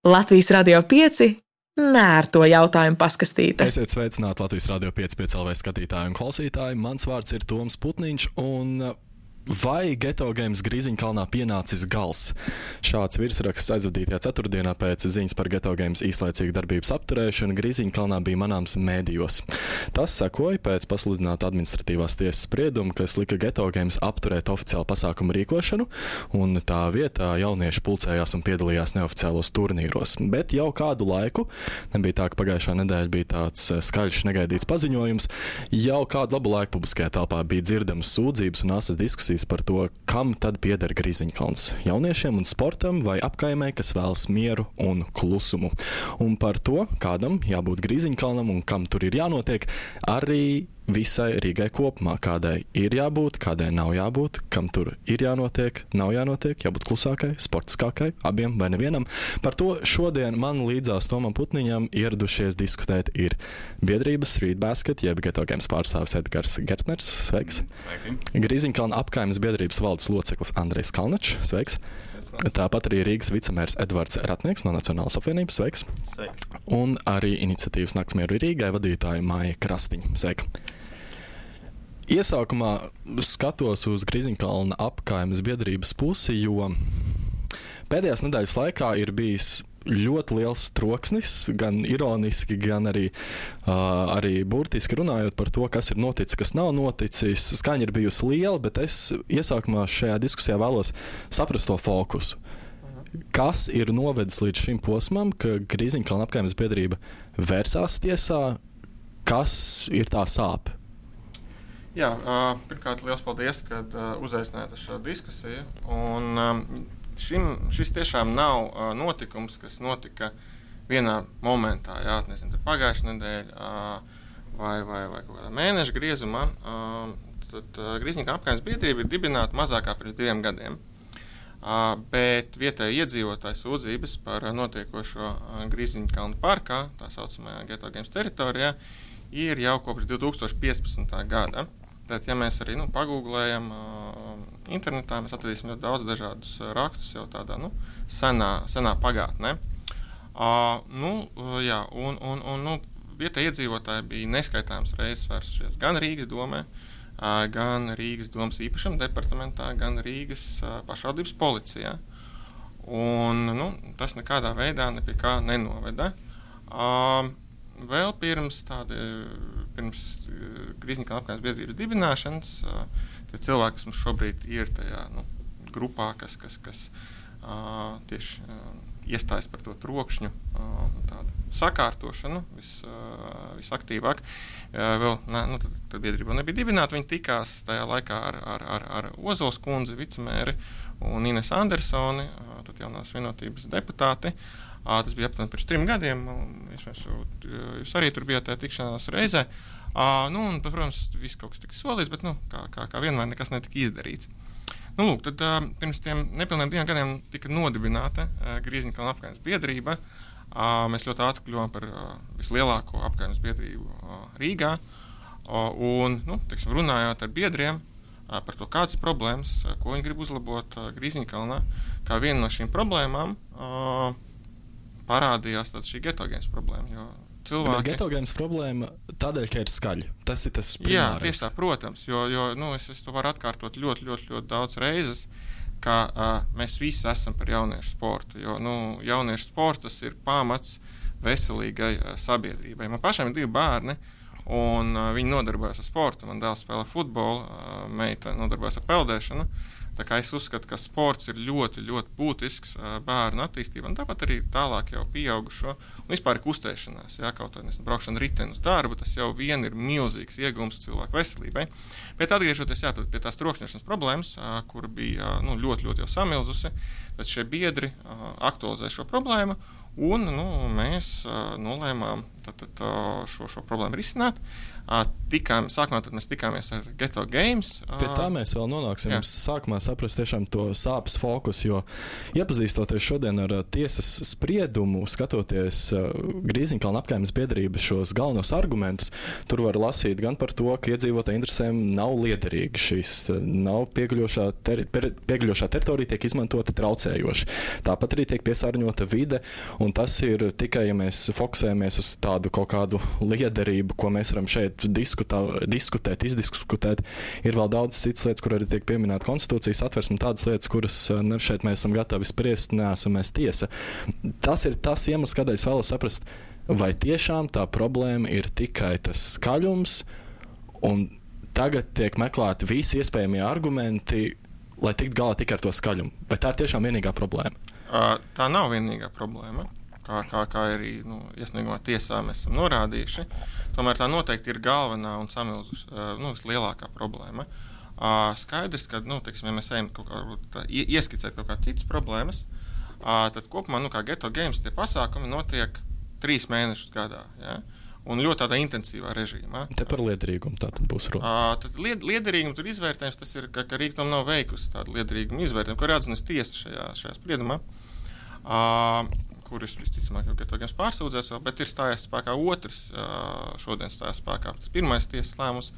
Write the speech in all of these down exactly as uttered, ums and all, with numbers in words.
Latvijas Radio pieci nērto jautājumu paskastīte. Esiet sveicināti Latvijas Radio pieci pieci L V skatītāji un klausītāji. Mans vārds ir Toms Putniņš un vai Geto Games Grīziņkalnā pienācis gals? Šāds virsraksts aizvadītajā ceturtdienā pēc ziņas par Geto Games īslaicīgu darbības apturēšanu Grīziņkalnā bija manāms mēdījos. Tas sekoja pēc pasludināta administratīvās tiesas sprieduma, kas lika Geto Games apturēt oficiālu pasākumu rīkošanu, un tā vietā jaunieši pulcējās un piedalījās neoficiālos turnīros. Bet jau kādu laiku, nebija tā, ka pagājušā nedēļa bija tāds skaļš negaidīts paziņojums, jau kādu labu laiku publiskajā telpā bija dzirdamas sūdzības un asas diskusijas par to, kam tad pieder Grīziņkalns - jauniešiem un sportam vai apkaimē, kas vēlas mieru un klusumu. Un par to, kādam jābūt Grīziņkalnam un kam tur ir jānotiek, arī visai Rīgai kopumā, kādai ir jābūt, kādai nav jābūt, kam tur ir jānotiek, nav jānotiek, jābūt klusākai, sportiskākai, abiem vai nevienam. Par to šodien man līdzās Tomam Putniņam ieradušies diskutēt ir biedrības Street Basket, jeb Geto Games pārstāvis Edgars Gertners. Sveiks! Sveiki! Grīziņkalna apkaimes biedrības valdes loceklis Andrejs Kalnačs. Sveiks! Tāpat arī Rīgas vicemērs Edvards Ratnieks no Nacionālās apvienības. Sveiks! Sveiki! Un arī iniciatīvas Naktsmieru Rīgai vadītāja Māja Krastiņa. Sveika! Iesākumā skatos uz Grīziņkalna apkaimes biedrības pusi, jo pēdējās nedēļas laikā ir bijis ļoti liels troksnis, gan ironiski, gan arī, uh, arī burtiski runājot par to, kas ir noticis, kas nav noticis. Skaņa ir bijusi liela, bet es iesākumā šajā diskusijā vēlos saprast to fokusu. Kas ir novedis līdz šim posmam, ka Grīziņkalna apkaimes biedrība vērsās tiesā? Kas ir tā sāpe? Jā, uh, pirmkārt, liels paldies, ka uh, uzaicinājāt uz šo diskusiju. Un, um, šim, šis tiešām nav uh, notikums, kas notika vienā momentā, jā, nezinu, pagājušā nedēļa uh, vai, vai, vai kaut kādā mēneša griezumā. Uh, tad uh, Grīziņkalna apkaimes biedrība ir dibināta mazākā pirms diviem gadiem. Uh, bet vietēji iedzīvotāji sūdzības par notiekošo uh, Grīziņkalna parkā, tā saucamajā Geto Games teritorijā, ir jau kopš divi tūkstoši piecpadsmitā gada. Tad, ja mēs arī nu, pagūglējam uh, internetā, mēs atradīsim ļoti daudz dažādus uh, rakstus jau tādā nu, senā, senā pagātnē. Uh, nu, uh, jā, un, un, un nu, vietēji iedzīvotāji bija neskaitāms reizes vērsušies gan Rīgas domē, uh, gan Rīgas domas īpašuma departamentā, gan Rīgas uh, pašvaldības policijā. Un, nu, tas nekādā veidā ne pie kā nenoveda. Uh, Vēl pirms tādi, pirms Grīziņkalna apkaimes biedrības dibināšanas, tie cilvēki, kas mums šobrīd ir tajā nu, grupā, kas, kas, kas uh, tieši uh, iestājas par to trokšņu uh, tādu sakārtošanu vis, uh, visaktīvāk. Uh, vēl, ne, nu, tad, tad biedrība nebija dibināta, viņi tikās tajā laikā ar, ar, ar, ar Ozols kundzi, vicemēri un Ines Andersoni, uh, tad jaunās vienotības deputāti. Uh, tas bija aptuveni pirms trim gadiem, un jūs, jūs arī tur bijāt tajā tikšanās reizē. Uh, nu, un, protams, viss kaut kas tika solīts, bet nu, kā, kā, kā vienmēr nekas netika izdarīts. Nu, lūk, tad uh, pirms tiem nepilniem diviem gadiem tika nodibināta uh, Grīziņkalna apkaimes biedrība. Uh, mēs ļoti ātri kļuvām par uh, vislielāko apkaimes biedrību uh, Rīgā. Uh, un, nu, teiksim, runājot ar biedriem uh, par to, kādas ir problēmas, uh, ko viņi grib uzlabot uh, Grīziņkalnā, kā viena no šīm problēmām uh, parādījās šī Geto Games problēma. Jo cilvēki... Geto Games problēma tādēļ, ka ir skaļi. Tas ir tas primārais. Jā, tieši tā, protams, jo, jo nu, es, es to varu atkārtot ļoti, ļoti, ļoti daudz reizes, ka uh, mēs visi esam par jauniešu sportu, jo nu, jauniešu sports tas ir pamats veselīgai uh, sabiedrībai. Man pašam ir divi bērni, un uh, viņi nodarbojas ar sportu. Man dēls spēlē futbolu, uh, meita nodarbojas ar peldēšanu. Tā kā es uzskatu, ka sports ir ļoti, ļoti būtisks uh, bērnu attīstībā, un tāpat arī tālāk jau pieaugušo, un vispār ir kustēšanās, jā, kaut vai nesam braukšana riteni uz darbu, tas jau vien ir milzīgs iegums cilvēku veselībai. Bet atgriežoties jā, pie tās trokšņošanas problēmas, uh, kur bija uh, nu, ļoti, ļoti jau samilzusi, tad šie biedri uh, aktualizē šo problēmu, un nu, mēs uh, nolēmām tad, tad, uh, šo, šo problēmu risināt. Uh, tikām, sākumā tad mēs tikāmies ar Geto Games. Uh, Pie tā mēs vēl nonāksim. Mums sākumā saprast tiešām to sāpes fokusu, jo iepazīstoties šodien ar uh, tiesas spriedumu, skatoties uh, Grīziņkalna apkaimes biedrības šos galvenos argumentus, tur var lasīt gan par to, ka iedzīvotāju interesēm nav liederīgi šīs, uh, nav piegļošā, ter, per, piegļošā teritorija tiek izmantota traucējoši. Tāpat arī tiek piesārņota vide, un un tas ir tikai, ja mēs fokusējamies uz tādu kaut kādu liederību, ko mēs varam šeit diskutā, diskutēt, izdiskutēt. Ir vēl daudz citas lietas, kur arī tiek pieminēta konstitūcijas atversme, tādas lietas, kuras ne, šeit mēs esam gatavi spriest, neesam mēs tiesa. Tas ir tas iemesls, kādēļ es vēlos saprast, vai tiešām tā problēma ir tikai tas skaļums, un tagad tiek meklēti visi iespējamie argumenti, lai tiktu galā tikai ar to skaļumu. Vai tā ir tiešām vienīgā problēma? Uh, tā nav vienīgā problēma. Kā, kā, kā arī nu, iesniegumā tiesā mēs esam norādījuši. Tomēr tā noteikti ir galvenā un samilzus, uh, nu, vislielākā problēma. Uh, skaidrs, ka nu, teiksim, ja mēs ejam kaut kā, tā, ieskicēt kaut kādas citas problēmas, uh, tad kopumā nu, kā Ghetto Games tie pasākumi notiek trīs mēnešus gadā. Ja? Un ļoti tādā intensīvā režīmā. Te par liederīgumu tā tad būs runa. Uh, tad lied, liederīgumu tur izvērtējums, tas ir, ka, ka Rīga tam nav veikusi tādu liederīgumu izvērtējumu, ko ir atzinusi tiesa šajā, šajā spriedumā, uh, kurus visticamāk jau Ghetto Games pārsūdzēs, bet ir stājies spēkā otrs, uh, šodien stājās spēkā tas pirmais tiesas lēmums,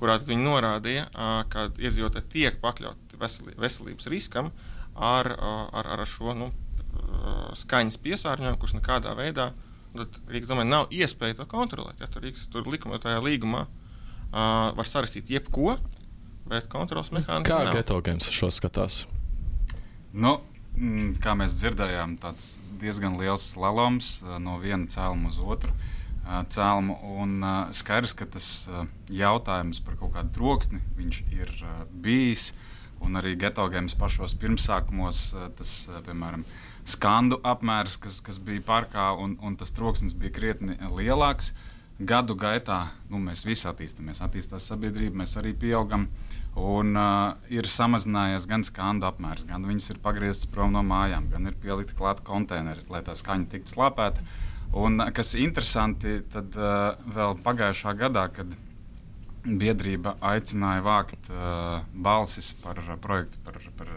kurā viņi norādīja, uh, ka iedzīvotāji tiek pakļauti veseli, veselības riskam ar, uh, ar, ar šo nu, uh, skaņas piesārņojumu, kurš nekādā veidā tad Rīgas domē nav iespēja to kontrolēt. Ja, tur Rīgas tur likuma, tajā līgumā uh, var sarakstīt jebko, bet kontrols mehānismu Kā nav. Ghetto Games šo skatās? Nu, kā mēs dzirdējām, tāds diezgan liels slaloms uh, no viena cēluma uz otru uh, cēlumu. Un uh, skaidrs, ka tas uh, jautājums par kaut kādu troksni viņš ir uh, bijis. Un arī Ghetto Games pašos pirmsākumos uh, tas, uh, piemēram, skandu apmērs, kas, kas bija parkā, un, un tas troksnis bija krietni lielāks. Gadu gaitā nu, mēs visi attīstāmies, attīstās sabiedrība, mēs arī pieaugam, un uh, ir samazinājies gan skandu apmērs, gan viņas ir pagrieztas prom no mājām, gan ir pielikti klāt konteineri, lai tā skaņa tiktu slāpēta. Un kas interesanti, tad uh, vēl pagājušā gadā, kad biedrība aicināja vākt uh, balsis par uh, projektu par, par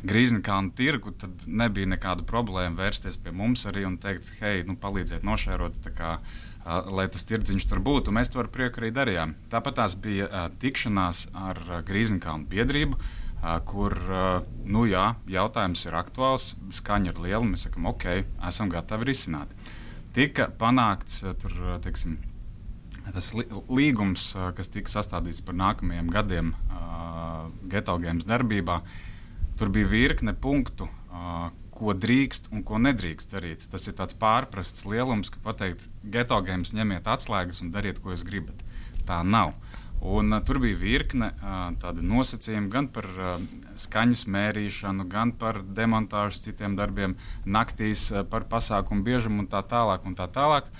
Grīznikalnu tirgu, tad nebija nekāda problēma vērsties pie mums arī un teikt, hei, nu, palīdziet nošērot, tā kā, uh, lai tas tirdziņš tur būtu. Mēs to ar prieku arī darījām. Tāpat tās bija uh, tikšanās ar uh, Grīznikalnu biedrību, uh, kur, uh, nu jā, jautājums ir aktuāls, skaņa ir liela, mēs sakam, ok, esam gatavi risināt. Tika panākts, uh, tur, uh, teiksim, tas li līgums, uh, kas tika sastādīts par nākamajiem gadiem uh, Ghetto Games darbībā. Tur bija virkne punktu, uh, ko drīkst un ko nedrīkst darīt. Tas ir tāds pārprasts lielums, ka pateikt, Ghetto Games ņemiet atslēgas un dariet, ko jūs gribat. Tā nav. Un, uh, tur bija virkne uh, tāda nosacījuma gan par uh, skaņas mērīšanu, gan par demontāžu citiem darbiem, naktīs uh, par pasākumu biežumu un tā tālāk un tā tālāk.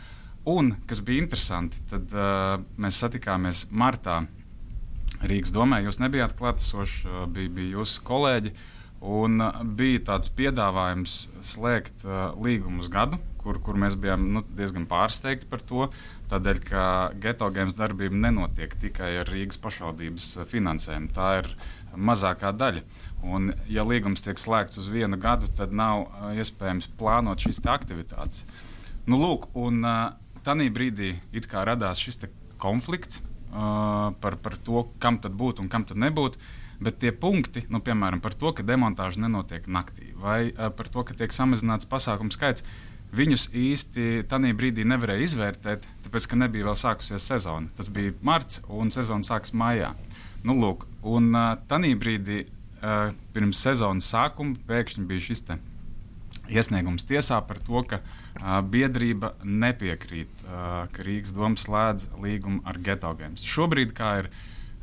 Un, kas bija interesanti, tad uh, mēs satikāmies martā Rīgas domē, jūs nebijāt klātesoši, bija, bija jūsu kolēģi, un bija tāds piedāvājums slēgt uh, līgumu uz gadu, kur, kur mēs bijām nu, diezgan pārsteigti par to, tādēļ, ka Ghetto Games darbība nenotiek tikai ar Rīgas pašvaldības finansējumu. Tā ir mazākā daļa. Un, ja līgums tiek slēgts uz vienu gadu, tad nav uh, iespējams plānot šīs aktivitātes. Nu, lūk, un uh, tanī brīdī it kā radās šis te konflikts, Uh, par, par to, kam tad būtu un kam tad nebūtu, bet tie punkti, nu, piemēram, par to, ka demontāža nenotiek naktī, vai uh, par to, ka tiek samazināts pasākumu skaits, viņus īsti tanī brīdī nevarēja izvērtēt, tāpēc, ka nebija vēl sākusies sezona. Tas bija marts, un sezona sākas maijā. Nu, lūk, un uh, tanī brīdī, uh, pirms sezonas sākuma, pēkšņi bija šis te iesniegums tiesā par to, ka uh, biedrība nepiekrīt, uh, ka Rīgas doma slēdz līgumu ar Ghetto Games. Šobrīd, kā ir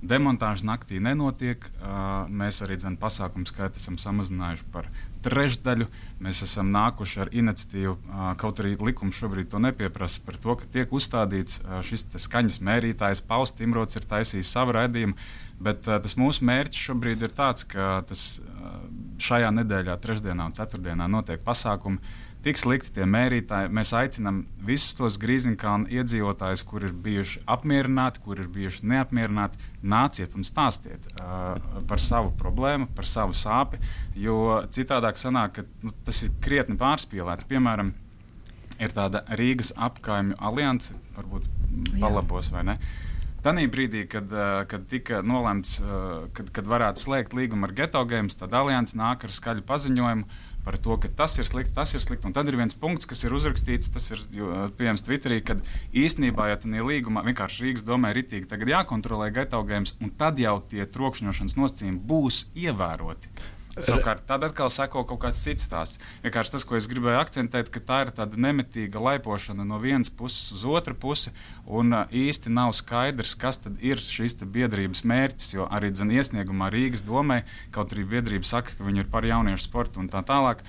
demontāža naktī nenotiek, uh, mēs arī dzen pasākumu skaitu esam samazinājuši par trešdaļu. Mēs esam nākuši ar iniciatīvu, uh, kaut arī likums šobrīd to nepieprasa, par to, ka tiek uzstādīts uh, šis skaņas mērītājs, Pauls Timrots ir taisījis savu raidījumu, bet uh, tas mūsu mērķis šobrīd ir tāds, ka tas uh, šajā nedēļā, trešdienā un ceturtdienā notiek pasākumi, tiks likti tie mērītāji. Mēs aicinām visus tos Grīznikalnu iedzīvotājus, kur ir bijuši apmierināti, kur ir bijuši neapmierināti, nāciet un stāstiet uh, par savu problēmu, par savu sāpi, jo citādāk sanāk, ka nu, tas ir krietni pārspīlēts. Piemēram, ir tāda Rīgas apkaimju alianse, varbūt palabos vai ne, Tanī brīdī, kad, kad tika nolēmts, kad, kad varētu slēgt līgumu ar Geto Games, tad Alianse nāk ar skaļu paziņojumu par to, ka tas ir slikti, tas ir slikti. Un tad ir viens punkts, kas ir uzrakstīts, tas ir pieejams Twitterī, kad īstenībā, ja tādā līgumā vienkārši Rīgas domē ritīgi tagad jākontrolē Geto Games, un tad jau tie trokšņošanas nosacījumi būs ievēroti. Savukārt, tad atkal sako kaut kāds cits stāsts. Vienkārši tas, ko es gribēju akcentēt, ka tā ir tāda nemitīga laipošana no vienas puses uz otru pusi, un uh, īsti nav skaidrs, kas tad ir šīs biedrības mērķis, jo arī dzen iesniegumā Rīgas domē, kaut arī biedrība saka, ka viņi ir par jauniešu sportu un tā tālāk.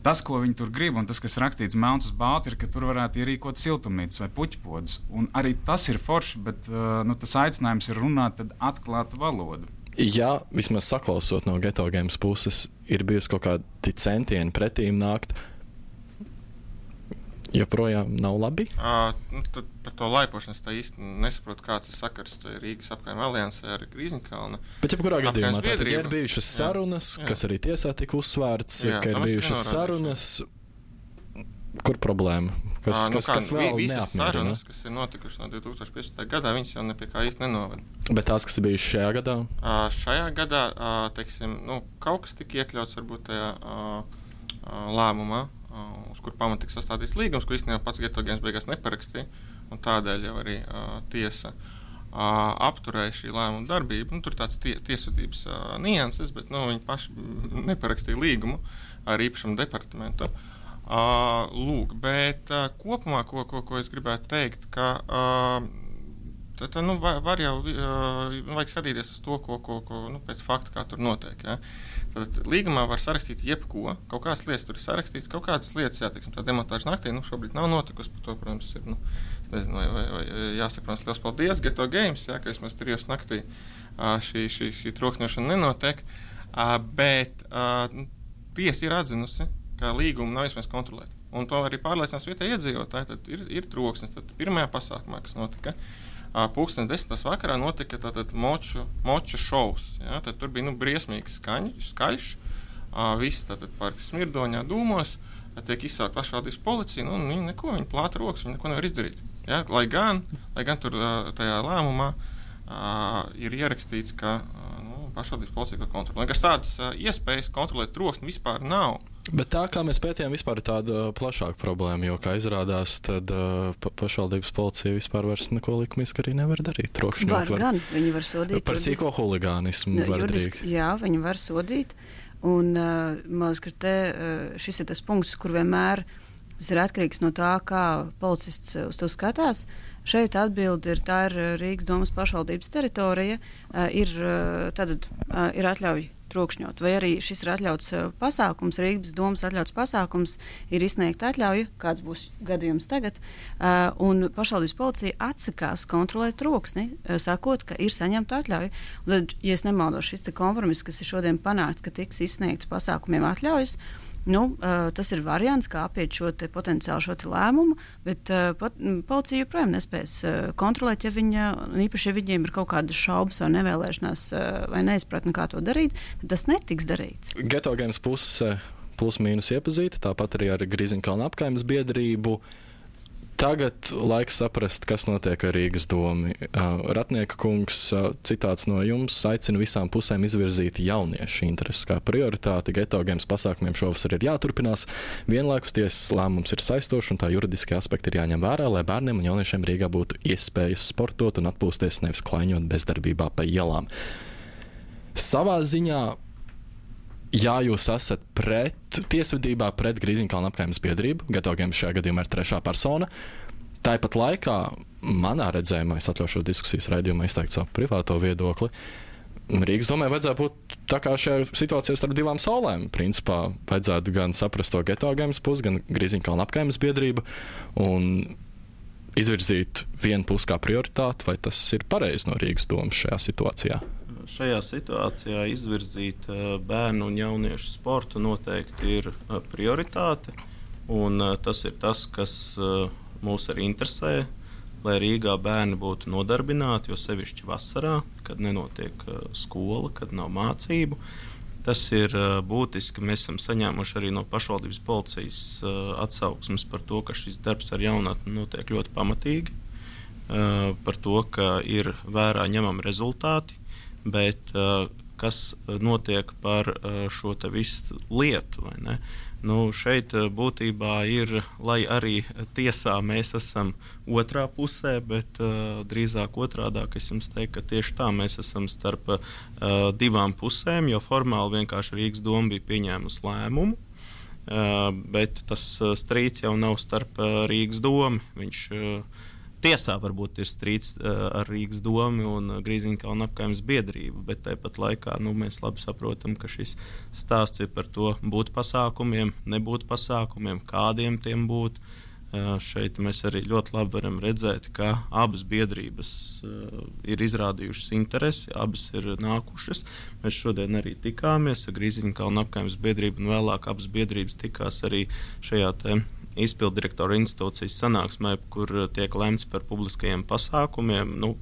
Tas, ko viņi tur grib, un tas, kas rakstīts melns uz balta, ir, ka tur varētu ierīkot siltumnīcas vai puķpodus. Un arī tas ir forši, bet uh, nu, tas aicinājums ir runāt tad atklātu valodu. Ja vismaz saklausot no Geto Games puses, ir bijusi kaut kādi centieni pretīm nākt, joprojām nav labi? Uh, nu, tad par to laipošanas tā īsti nesaprotu, kāds ir sakars Rīgas apkaimē Aliansē ar Grīziņkalna. Bet jebkurā gadījumā tātad ir bijušas sarunas, jā, jā. kas arī tiesā tika uzsvērts, jā, ka ir bijušas sarunas. Kur problēma? Kas, à, nu kas, kā, kas vēl neapmierina? Sarunas, kas ir notikušas no divi tūkstoši piecpadsmitā gadā, viņas jau nepie kā īsti nenovada. Bet tās, kas ir bijušas šajā gadā? À, šajā gadā, à, teiksim, nu, kaut kas tika iekļauts varbūt tajā à, à, lēmumā, à, uz kur pamat tika sastādīts līgums, ko īstenībā pats Geto Games beigās neparakstīja, un tādēļ jau arī à, tiesa à, apturēja šī lēmuma darbību. Nu, tur tāds tie, tiesvedības à, nianses, bet nu, viņi paši neparakstīja līgumu ar īpašumu departamentu. Uh, lūk, bet uh, kopumā, ko, ko, ko es gribētu teikt, ka uh, tā, tā, nu, var, var jau uh, vajag skatīties uz to, ko, ko, ko nu, pēc fakta, kā tur notiek. Ja? Tad līgumā var sarakstīt jebko, kaut kādas lietas tur ir sarakstīts, kaut kādas lietas, jā, teiksim, tā demontāža naktī, nu, šobrīd nav notikusi, par to, protams, ir, nu, es nezinu, vai, vai, vai jāsaka, protams, liels paldies Geto Games, jā, ka vismaz trijos naktī uh, šī, šī, šī trokšņošana nenotiek, uh, bet uh, tiesa ir atzinusi, ka līgumu nav iespējams kontrolēt. Un to arī pārliecinās vietējie iedzīvotāji. Tad ir, ir troksnis. Tad pirmajā pasākumā, kas notika, pulksten desmitos vakarā notika tātad moču, moča šovs. Ja? Tad tur bija nu, briesmīgs skaņ, skaļš. Visi tātad parki smirdoņā dūmos. Tiek izsaukt pašvaldības policija. Nu, viņi neko, viņi plāta rokas, viņi neko nevar izdarīt. Ja? Lai gan, lai gan tur tajā lēmumā ir ierakstīts, ka pašvaldības policija kontrolē. Vienkārši tādas uh, iespējas kontrolēt troksni vispār nav. Bet tā, kā mēs pētījām, vispār ir tāda plašāka problēma, jo, kā izrādās, tad uh, pa pašvaldības policija vispār vairs neko likumiski arī nevar darīt. Trokšņot var, var gan, viņi var sodīt. Par sīko huligānismu no, var darīt. Jā, viņi var sodīt. Un, uh, man liekas, ka te, uh, šis ir tas punkts, kur vienmēr tas ir atkarīgs no tā, kā policists uz to skatās. Šeit atbilde ir, tā ir Rīgas domas pašvaldības teritorija, ir, tātad, ir atļauj trokšņot, vai arī šis ir atļauts pasākums, Rīgas domas atļauts pasākums, ir izsniegta atļauja, kāds būs gadījums tagad, un pašvaldības policija atsakās kontrolēt troksni, sakot, ka ir saņemta atļauja. Un tad, ja es nemaldos, šis te kompromiss, kas ir šodien panākts, ka tiks izsniegts pasākumiem atļaujas, nu, uh, tas ir variants, kā apiet šo te potenciāli šo te lēmumu, bet uh, pat, policija joprojām nespēs uh, kontrolēt, ja viņa, īpaši, ja viņiem ir kaut kādas šaubas vai nevēlēšanās uh, vai neizpratni, kā to darīt, tad tas netiks darīts. Geto Games puse plus mīnus iepazīta, tāpat arī ar Grīziņkalna apkaimes biedrību. Tagad laiks saprast, kas notiek ar Rīgas domu. Uh, Ratnieka kungs, uh, citāts no jums, aicina visām pusēm izvirzīt jauniešu intereses kā prioritāti. Geto Games pasākumiem šovasar ir jāturpinās. Vienlaikus tiesas lēmums ir saistošs un tā juridiskie aspekti ir jāņem vērā, lai bērniem un jauniešiem Rīgā būtu iespējas sportot un atpūsties, nevis klaiņot bezdarbībā pa ielām. Savā ziņā, jā, jūs esat pret tiesvedībā pret Grīziņkalna apkaimes biedrību. Geto Games šajā gadījumā ir trešā persona. Tāpat laikā, manā redzējumā, es atļaušu diskusijas raidījumā izteikt savu privāto viedokli, Rīgas domai vajadzētu būt tā kā šajā situācijā starp divām saulēm. Principā vajadzētu gan saprast to Geto Games pusi, gan Grīziņkalna apkaimes biedrību un izvirzīt vienu pusi kā prioritāti, vai tas ir pareizi no Rīgas domas šajā situācijā? Šajā situācijā izvirzīt bērnu un jauniešu sportu noteikti ir prioritāte, un tas ir tas, kas mūs arī interesē, lai Rīgā bērni būtu nodarbināti, jo sevišķi vasarā, kad nenotiek skola, kad nav mācību. Tas ir būtiski. Mēs esam saņēmuši arī no pašvaldības policijas atsauksmes par to, ka šis darbs ar jaunatni notiek ļoti pamatīgi. uh, par to, ka ir vērā ņemami rezultāti, bet uh, kas notiek par uh, šo te visu lietu, vai ne? Nu, šeit būtībā ir, lai arī tiesā mēs esam otrā pusē, bet uh, drīzāk otrādāk es jums teiktu, ka tieši tā mēs esam starp uh, divām pusēm, jo formāli vienkārši Rīgas doma bija pieņēmusi lēmumu, uh, bet tas strīds jau nav starp uh, Rīgas domu. Viņš uh, tiesā varbūt ir strīds uh, ar Rīgas domu un uh, Grīziņkalna apkaimes biedrību, bet tāpat laikā nu, mēs labi saprotam, ka šis stāsts ir par to būt pasākumiem, nebūt pasākumiem, kādiem tiem būt. Uh, šeit mēs arī ļoti labi varam redzēt, ka abas biedrības uh, ir izrādījušas interesi, abas ir nākušas. Mēs šodien arī tikāmies ar Grīziņkalna apkaimes biedrību un vēlāk abas biedrības tikās arī šajā te izpilddirektora institūcijas sanāksmē, kur tiek lemts par publiskajiem pasākumiem. Nu,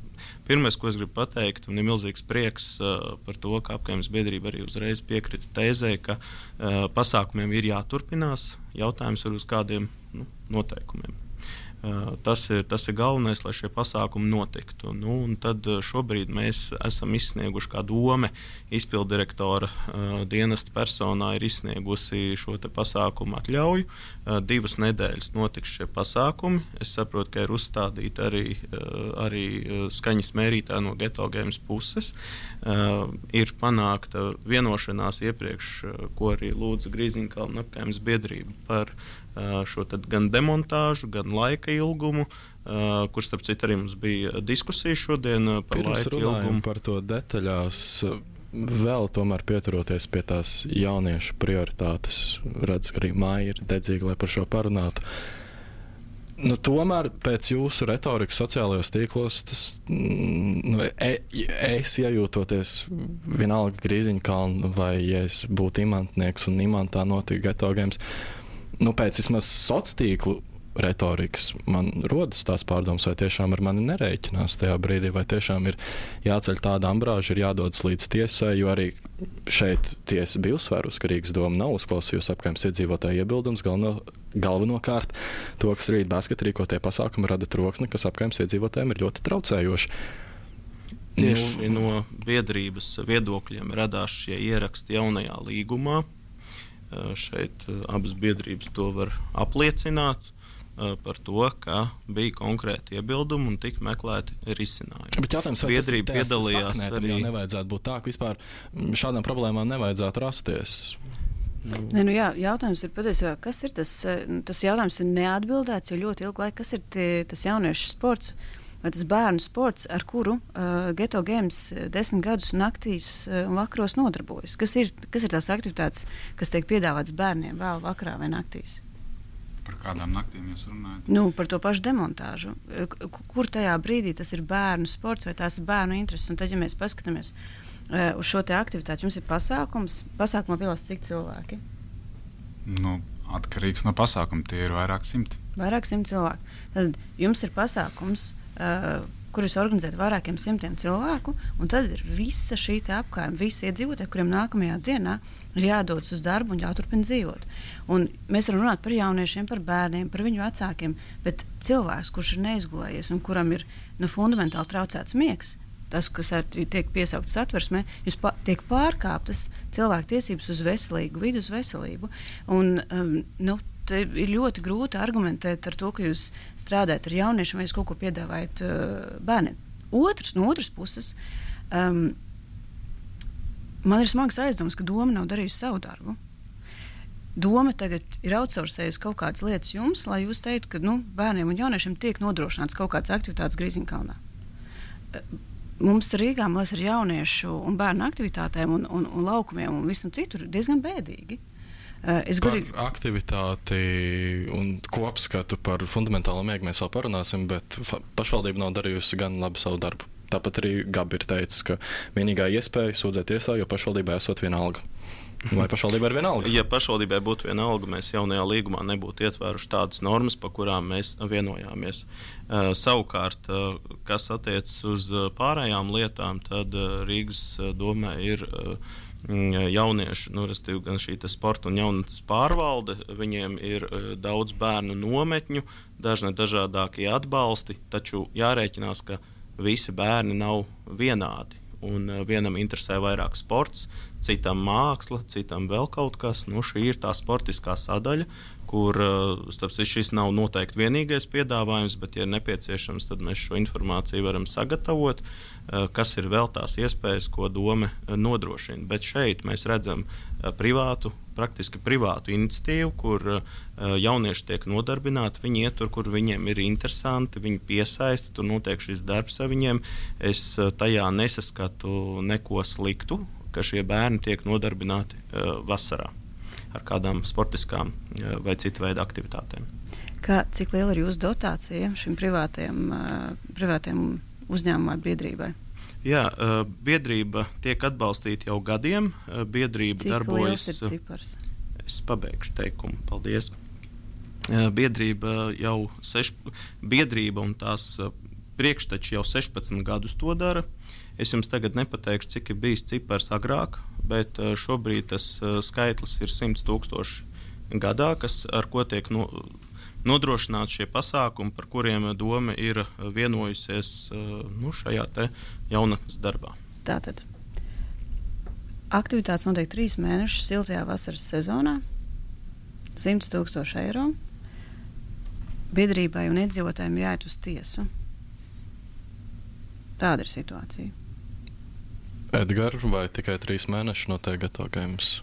pirmais, ko es gribu pateikt, un ir milzīgs prieks uh, par to, ka apkaimes biedrība arī uzreiz piekrita tēzē, ka uh, pasākumiem ir jāturpinās. Jautājums ir uz kādiem nu, noteikumiem. Uh, tas, ir, tas ir galvenais, lai šie pasākumi notiktu. Nu, un tad šobrīd mēs esam izsnieguši kā dome, izpilddirektora uh, dienesta personā ir izsniegusi šo te pasākumu atļauju. Uh, divas nedēļas notiks šie pasākumi. Es saprotu, ka ir uzstādīti arī, uh, arī skaņas mērītāji no Geto Games puses. Uh, ir panākta vienošanās iepriekš, uh, ko arī lūdza Grīziņkalna apkaimes biedrība par šo tad gan demontāžu, gan laika ilgumu, uh, kur starp citu arī mums bija diskusija šodien par Pirms laika ilgumu. Par to detaļās, vēl tomēr pieturoties pie tās jauniešu prioritātes, redz, arī māja ir dedzīga, lai par šo parunātu. Nu, tomēr pēc jūsu retorikas sociālajos tīklos, tas, nu, e, es iejūtoties vienalga Grīziņkalna vai ja es būtu imantnieks un imantā notika Geto Games, nu, pēc vismaz sociālo retorikas man rodas tās pārdomas, vai tiešām ar mani nerēķinās tajā brīdī, vai tiešām ir jāceļ tāda ambrāža, ir jādodas līdz tiesai, jo arī šeit tiesa bija uzsvērusi, ka Rīgas doma nav uzklausījusi apkaimes iedzīvotāju iebildums, galveno, galvenokārt to, kas rīt basket rīkotie pasākumi rada troksni, kas apkaimes iedzīvotājiem ir ļoti traucējoši. Tieši nu, no biedrības viedokļiem radās šie ieraksti jaunajā līgumā. Šeit abas biedrības to var apliecināt par to, ka bija konkrēti iebildumi un tika meklēti risinājumi. Bet jautājums, vai biedrība tas ir piedalījās saknē, arī. Jau nevajadzētu būt tā, ka vispār šādām problēmām nevajadzētu rasties. Nu. Ne, nu jā, jautājums ir patiesībā, kas ir tas, tas jautājums ir neatbildēts, jo ļoti ilgu laiku, kas ir tie, tas jauniešu sports, vai tas bērnu sports, ar kuru uh, Geto Games desmit gadus naktīs uh, un vakaros nodarbojas. Kas ir, kas ir tās aktivitātes, kas tiek piedāvātas bērniem vēl vakarā vai naktīs? Par kādām naktīm jūs runājat? Nu, par to pašu demontāžu. Kur tajā brīdī tas ir bērnu sports vai tās ir bērnu intereses? Un tad, ja mēs paskatāmies uh, uz šo te aktivitāti, jums ir pasākums, pasākumā piedalās cik cilvēki? Nu, atkarīgs no pasākuma, tie ir vairāk simti. Vairāk simti cilvēku. Tad jums ir pasākums, Uh, kurus organizēt vairākiem simtiem cilvēku, un tad ir visa šī apkaime, visi iedzīvotāji, kuriem nākamajā dienā ir jādodas uz darbu un jāturpina dzīvot. Un mēs varam runāt par jauniešiem, par bērniem, par viņu vecākiem, bet cilvēks, kurš ir neizgulējies un kuram ir nu, fundamentāli traucēts miegs, tas, kas arī tiek piesaukts satversmē, jūs pa, tiek pārkāptas cilvēku tiesības uz veselīgu vidi, uz veselību. Un, um, nu, ir ļoti grūti argumentēt ar to, ka jūs strādājat ar jauniešiem vai jūs kaut ko piedāvājat uh, bērniem. Otrs, no otras puses, um, man ir smags aizdoms, ka doma nav darījusi savu darbu. Doma tagad ir outsourcējusi kaut kādas lietas jums, lai jūs teiktu, ka nu, bērniem un jauniešiem tiek nodrošināts kaut kādas aktivitātes Grīziņkalnā. Mums Rīgā, man liekas, ar jauniešu un bērnu aktivitātēm un, un, un laukumiem un visam citur diezgan bēdīgi. Uh, es par gudīgi... aktivitāti un kopskatu par fundamentālo miegu mēs vēl parunāsim, bet pašvaldība nav darījusi gan labi savu darbu. Tāpat arī Gabi ir teicis, ka vienīgā iespēja sūdzēt tiesā, jo pašvaldībai esot viena alga. Vai pašvaldībai ir viena alga? Ja pašvaldībai būtu viena alga, mēs jaunajā līgumā nebūtu ietvēruši tādas normas, pa kurām mēs vienojāmies. Uh, savukārt, uh, kas attiecas uz pārējām lietām, tad uh, Rīgas domē ir uh, jauniešu, nu, restīvi, gan šī sporta un jaunatnes pārvalde, viņiem ir daudz bērnu nometņu, dažne dažādākie atbalsti, taču jārēķinās, ka visi bērni nav vienādi. Un vienam interesē vairāk sports, citam māksla, citam vēl kaut kas. Nu, šī ir tā sportiskā sadaļa, kur starp citu šis nav noteikti vienīgais piedāvājums, bet, ja nepieciešams, tad mēs šo informāciju varam sagatavot, kas ir vēl tās iespējas, ko dome nodrošina. Bet šeit mēs redzam privātu, praktiski privātu iniciatīvu, kur jaunieši tiek nodarbināti, viņi iet tur, kur viņiem ir interesanti, viņi piesaista, tur notiek šis darbs ar viņiem. Es tajā nesaskatu neko sliktu, ka šie bērni tiek nodarbināti vasarā ar kādām sportiskām vai citu veidu aktivitātēm. Kā, cik liela ir jūsu dotācija šim privātajam, privātajam uzņēmumai, biedrībai? Jā, biedrība tiek atbalstīta jau gadiem. Biedrība cik darbojas. Cik liels ir cipars? Es pabeigšu teikumu. Paldies. Biedrība jau seš, biedrība un tās priekšteči jau sešpadsmit gadus to dara. Es jums tagad nepateikšu, cik ir bijis cipars agrāk, bet šobrīd tas skaitlis ir simts tūkstoši gadā, kas, ar ko tiek no, nodrošināti šie pasākumi, par kuriem doma ir vienojusies nu, šajā te jaunatnes darbā. Tātad aktivitātes notiek trīs mēnešus siltajā vasaras sezonā, simts tūkstoši eiro. Biedrībai un iedzīvotājiem jāiet uz tiesu. Tāda ir situācija. Edgar, vai tikai trīs mēneši notiek Geto Games?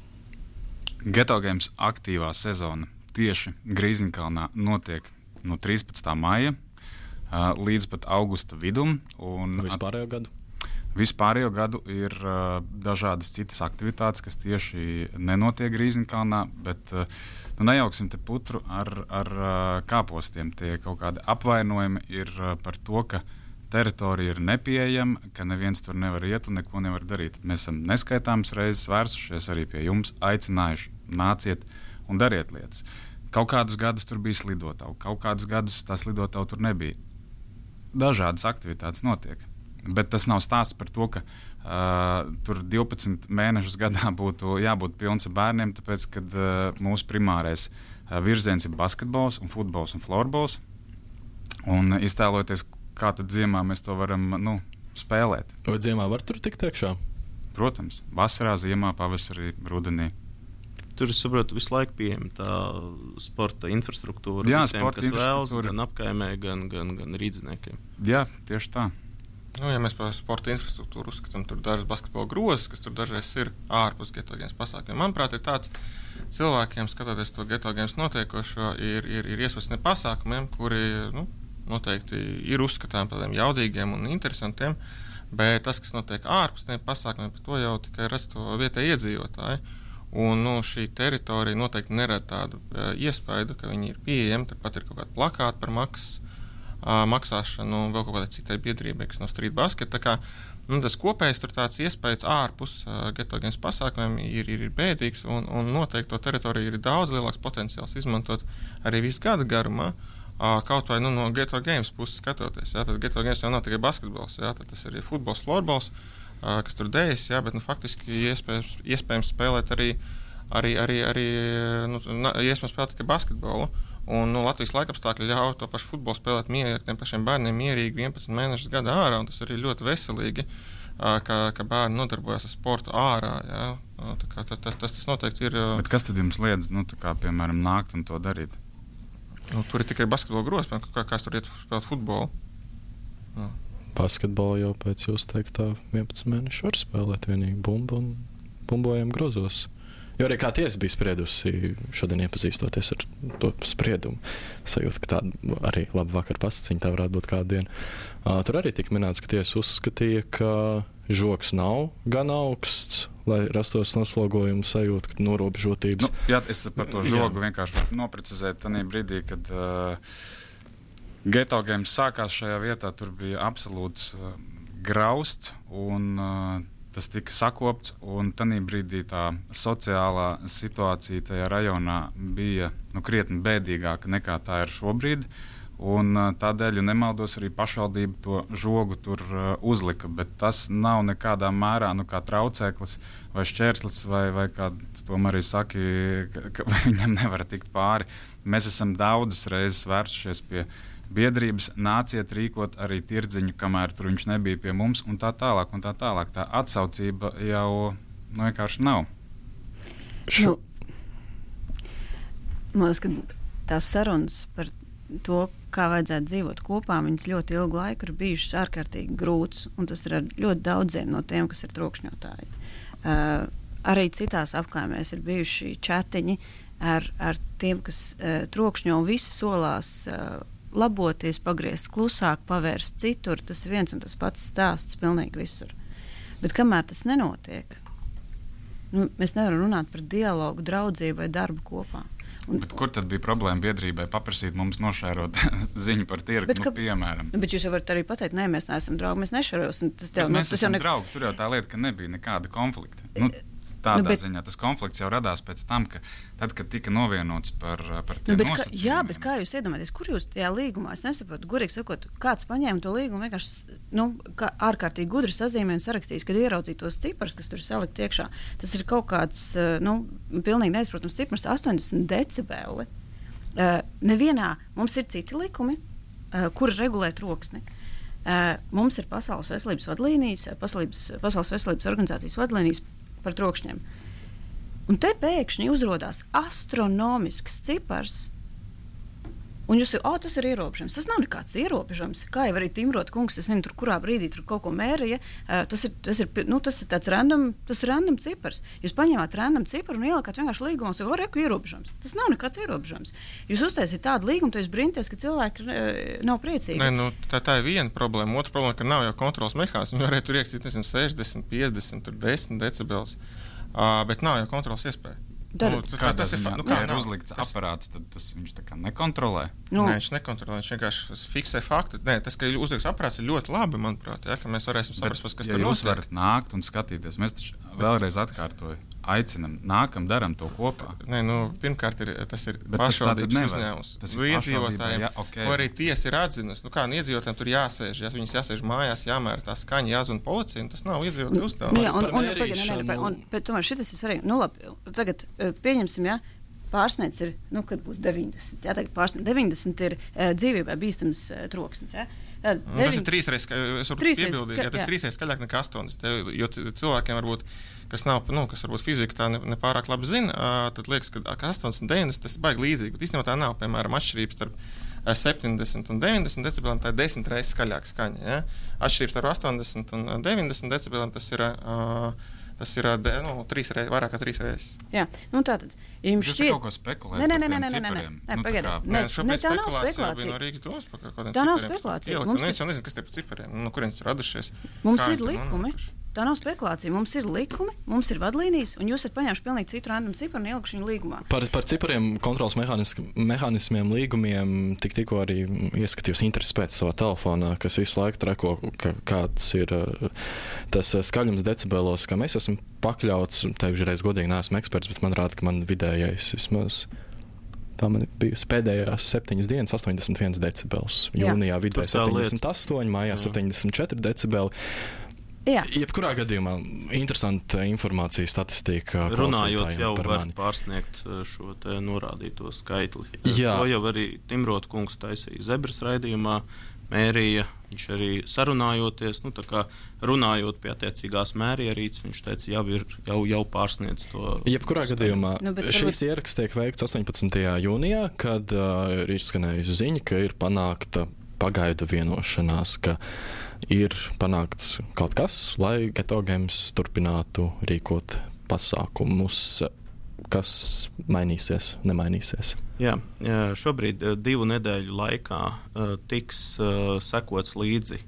Geto Games aktīvā sezona tieši Grīziņkalnā notiek no trīspadsmitā maija uh, līdz pat augusta vidum. Un vispārējo gadu? Vispārējo gadu ir uh, dažādas citas aktivitātes, kas tieši nenotiek Grīziņkalnā, bet uh, nu, nejauksim te putru ar, ar uh, kāpostiem. Tie kaut kādi apvainojumi ir uh, par to, ka teritorija ir nepieejama, ka neviens tur nevar iet un neko nevar darīt. Mēs esam neskaitāmas reizes vērsušies arī pie jums, aicinājuši, nāciet un dariet lietas. Kaut kādus gadus tur bija slidotavu, kaut kādus gadus tā slidotavu tur nebija. Dažādas aktivitātes notiek. Bet tas nav stāsts par to, ka uh, tur divpadsmit mēnešus gadā būtu jābūt pilns ar bērniem, tāpēc, ka uh, mūsu primārais uh, virziens ir basketbols un futbols un florbols. Un iztēloties, kā tad ziemā mēs to varam nu, spēlēt. Vai ziemā var tur tikt iekšā? Protams, vasarā, ziemā, pavasarī, rudenī. Tur, es saprotu, visu laiku pieejama tā sporta infrastruktūra. Jā, visiem, sporta kas vēlas, infrastruktūra. gan apkaimē, gan, gan, gan rīdziniekiem. Jā, tieši tā. Nu, ja mēs par sporta infrastruktūru uzskatām, tur dažas basketbola grozas, kas tur dažreiz ir ārpus Geto Games pasākumiem. Manuprāt, ir tāds cilvēkiem, skatoties to Geto Games notiekošo, ir, ir, ir iespējas pasākumiem, kuri nu, noteikti ir uzskatāmi par tādiem jaudīgiem un interesantiem, bet tas, kas notiek ārpus tiem pasākumiem, par to jau tikai redz to vietēji iedzīvotāji. Un nu, šī teritorija noteikti nerada tādu uh, iespaidu, ka viņi ir pieejami. Turpat ir kaut kāda plakāta par maksas, uh, maksāšanu un vēl kaut kādai citai biedrībai, kas no street basket. Tā kā, nu, tas kopējais tur tāds iespējas ārpus uh, Geto Games pasākumiem ir, ir, ir bēdīgs un, un noteikti to teritoriju ir daudz lielāks potenciāls izmantot arī visu gadu garumā. Uh, kaut vai nu, no Geto Games puses skatoties. Jā, tad Geto Games jau nav tikai basketbols, jā, tad tas ir futbols, florbols, uh, kas tur dējas, jā, bet nu, faktiski iespējams, iespējams spēlēt arī, arī, arī, arī nu, iespējams spēlēt tikai basketbolu. Un nu, Latvijas laikapstākļi ļauj to pašu futbolu spēlēt mierīgi, tiem pašiem bērniem mierīgi vienpadsmit mēnešus gadā ārā, un tas arī ļoti veselīgi, uh, ka, ka bērni nodarbojas ar sportu ārā. Jā. Uh, tā kā, tas, tas, tas noteikti ir. Uh, bet kas tad jums liedz, nu, tā kā, piemēram, nākt un to darīt? Nu, tur ir tikai basketbola grozs, kā kāds tur iet spēlēt futbolu. Jā. Basketbolu jau pēc jūsu teiktā vienpadsmit mēnešu var spēlēt vienīgi bumbu un bumbojam grozos. Jo arī kā tiesa bija spriedusi šodien iepazīstoties ar to spriedumu. Sajūt, ka tāda arī laba vakar pasaciņa tā varētu būt kādu dienu. Uh, tur arī tika minēts, ka tiesa uzskatīja, ka žoks nav gan augsts, lai rastos noslogojumu sajūta, ka norobežotības. Nu, jā, es par to žogu vienkārši noprecizēju tajā brīdī, kad uh, Geto Games sākās šajā vietā, tur bija absolūts uh, grausts un uh, tas tika sakopts, un tajā brīdī tā sociālā situācija tajā rajonā bija nu, krietni bēdīgāka nekā tā ir šobrīd. Un, tādēļ, ja nemaldos, arī pašvaldība to žogu tur uh, uzlika. Bet tas nav nekādā mērā nu, kā traucēklis vai šķērslis, vai, vai kā tu arī saki, ka, ka viņam nevar tikt pāri. Mēs esam daudzas reizes vērsušies pie biedrības, nāciet rīkot arī tirdziņu, kamēr tur viņš nebija pie mums, un tā tālāk. Un tā, tālāk. Tā atsaucība jau nu, vienkārši nav. Nu, man liekas, ka tās sarunas par to, kā vajadzētu dzīvot kopā, viņas ļoti ilgu laiku ir bijušas ārkārtīgi grūtas, un tas ir ar ļoti daudziem no tiem, kas ir trokšņotāji. Uh, arī citās apkaimēs ir bijuši čatiņi ar, ar tiem, kas uh, trokšņo, un visi solās uh, laboties, pagriezt klusāk, pavērst citur. Tas ir viens un tas pats stāsts pilnīgi visur. Bet kamēr tas nenotiek, nu, mēs nevaram runāt par dialogu, draudzību vai darbu kopā. Un, bet kur tad bija problēma biedrībai paprasīt mums nošērot ziņu par tirgu, nu, piemēram? Bet jūs jau varat arī pateikt, nē, mēs neesam draugi, mēs nešērosim. Tas tev, mēs nu, tas esam ne... draugi, tur jau tā lieta, ka nebija nekāda konflikta. Nu, tādā nu, bet... ziņā tas konflikts jau radās pēc tam, ka tad, kad tika novienots par, par tiem nu, nosacījumiem. Kā, jā, bet kā jūs iedomājaties, kur jūs tajā līgumā, es nesaprotu, gurīgi sakot, kāds paņēma to līgumu vienkārši nu, kā ārkārtīgi gudri sazīmē un sarakstījis, kad ieraudzīja tos ciparus, kas tur salikt iekšā. Tas ir kaut kāds, nu, pilnīgi neizprotams cipars, astoņdesmit decibeli. Uh, nevienā mums ir citi likumi, uh, kuri regulē troksni. Uh, mums ir Pasaules veselības vadlīnijas, Pasaules, Pasaules veselības organizācijas vadlīnijas par trokšņiem. Un te pēkšņi uzrodās astronomisks cipars, un jūs jau, oh, tas ir ierobežojums. Tas nav nekāds ierobežojums. Kā jau arī Timrot kungs, es nezinu, tur kurā brīdī tur kaut ko mērīja, uh, tas ir, tas ir, nu, tas ir tāds random, tas ir random cipars. Jūs paņēmāt random ciparu un ielikāt vienkārši līgumā, un sakāt, reku ierobežojums. Tas nav nekāds ierobežojums. Jūs uztaisīt tādu līgumu, tad jūs brīnties, ka cilvēki uh, nav priecīgi. Nē, nu, tā, tā ir viena problēma. Otra problēma, ka nav jau kontrols mehānismu. Viņi varētu tur iekstīt, nezinu, sešdesmit, piecdesmit, desmit decibels, uh, bet nav jau kontrols iespēja. Tad, nu, tā, tas ir, nu, kā ir uzlikts tas... aparāts, tad tas viņš tā kā nekontrolē. Nu. Nē, viņš nekontrolē, viņš vienkārši fiksē faktu. Nē, tas, ka ir uzlikts aparāts, ir ļoti labi, manuprāt, ja, ka mēs varēsim saprast, kas ja tur notiek. Jūs varat nākt un skatīties. Mēs taču vēlreiz atkārtoju, aicinam, nākam, daram to kopā. Nē, nu, pirmkārt, ir, tas ir bet pašvaldības uzņēmums. Tas ir iedzīvotājiem, ja, okay. Ko arī tiesa ir atzinusi. Nu, kā nu, iedzīvotājiem tur jāsēž, ja viņas jāsēž mājās, jāmēra tā skaņa, jāzvan policija, un tas nav iedzīvotāju uzdevums. Jā, un, un, un, un, un, bet tomēr šitas ir svarīgi. Nu, labi, tagad pieņemsim, ja, pārsniedz ir, nu, kad būs deviņdesmit. Jā, tagad pārsniedz deviņdesmit ir uh, dzīvībai bīstams uh, troksnis. Ja? Uh, nu, tas ir trīsreiz, es varu piebildīt, ja tas ir trīsreiz skaļāk nekā astoņdesmit. Jo cilvēkiem varbūt, kas nav, nu, kas varbūt fizika tā nepārāk ne labi zina, uh, tad liekas, ka astoņdesmit, deviņdesmit tas ir baigi līdzīgi. Bet īstenībā tā nav, piemēram, atšķirības starp uh, septiņdesmit un deviņdesmit decibeliem, tā ir desmit reizes skaļāka skaņa. Ja? Atšķirības starp astoņdesmit un deviņdesmit decibeliem tas ir uh, Tas ir nu, trīs reiz, vairāk kā trīs reizes. Jā, nu tātad. Ja jums šķiet... kaut ko spekulēt nē, nē, par nē, nē, tiem nē, cipariem? Nē, nu, pagaidām. Nē, nē, tā nav spekulācija. No Rīgas domas par kādiem tā nav cipariem. spekulācija. Ielikt, mums nu, ir... nezinu, kas tie par cipariem, no kurienes ir radušies. Mums Kā ir likumi. Tā nav spekulācija. Mums ir likumi, mums ir vadlīnijas, un jūs esat paņēmuši pilnīgi citu random ciparu un ielikuši viņu līgumā. Par, par cipariem, kontrols mehānismiem, līgumiem tik, tikko arī ieskatījos interesi pēc savā telefonā, kas visu laiku treko, ka, kāds ir tas skaļums decibelos, kā mēs esam pakļauts. Teikšu reiz godīgi, neesmu eksperts, bet man rāda, ka man vidējais vismaz. Tā man bija pēdējās septiņas dienas, astoņdesmit viens decibels. Jūnijā vidēji septiņdesmit astoņi, mājā septiņdesmit četri decibeli. Jā. Jebkurā gadījumā interesanta informācija, statistika. Runājot jau par var mani. Pārsniegt šo te norādīto skaitli. Jā. To jau arī Timrot kungs taisīja Zebras raidījumā, mērīja, viņš arī sarunājoties, nu tā kā runājot pie attiecīgās mērierīces, viņš teica, jau ir, jau, jau pārsniedz to. Jebkurā gadījumā nu, šīs varbūt... ieraksts tiek veikts astoņpadsmitajā jūnijā, kad uh, ir izskanējusi ziņa, ka ir panākta pagaidu vienošanās, ka ir panākts kaut kas, lai Geto Games turpinātu rīkot pasākumus, kas mainīsies, nemainīsies. Jā, šobrīd divu nedēļu laikā uh, tiks uh, sekots līdzi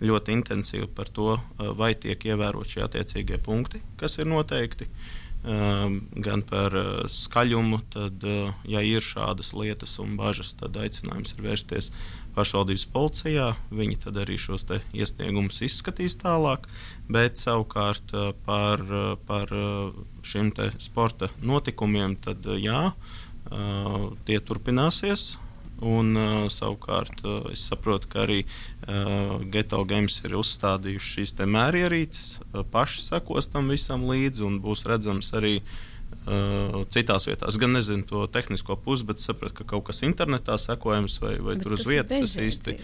ļoti intensīvi par to, uh, vai tiek ievērot šie attiecīgie punkti, kas ir noteikti. Uh, gan par uh, skaļumu, tad, uh, ja ir šādas lietas un bažas, tad aicinājums ir vērsties pašvaldības policijā. Viņi tad arī šos te iesniegumus izskatīs tālāk, bet savukārt uh, par, uh, par uh, šiem te sporta notikumiem, tad uh, jā, uh, tie turpināsies. Un, uh, savukārt, uh, es saprotu, ka arī uh, Geto Games ir uzstādījuši šīs mērierīces, uh, paši sekos tam visam līdzi un būs redzams arī uh, citās vietās. Gan nezinu to tehnisko pusi, bet saprotu, ka kaut kas internetā sekojams vai, vai tur uz vietas. Īsti,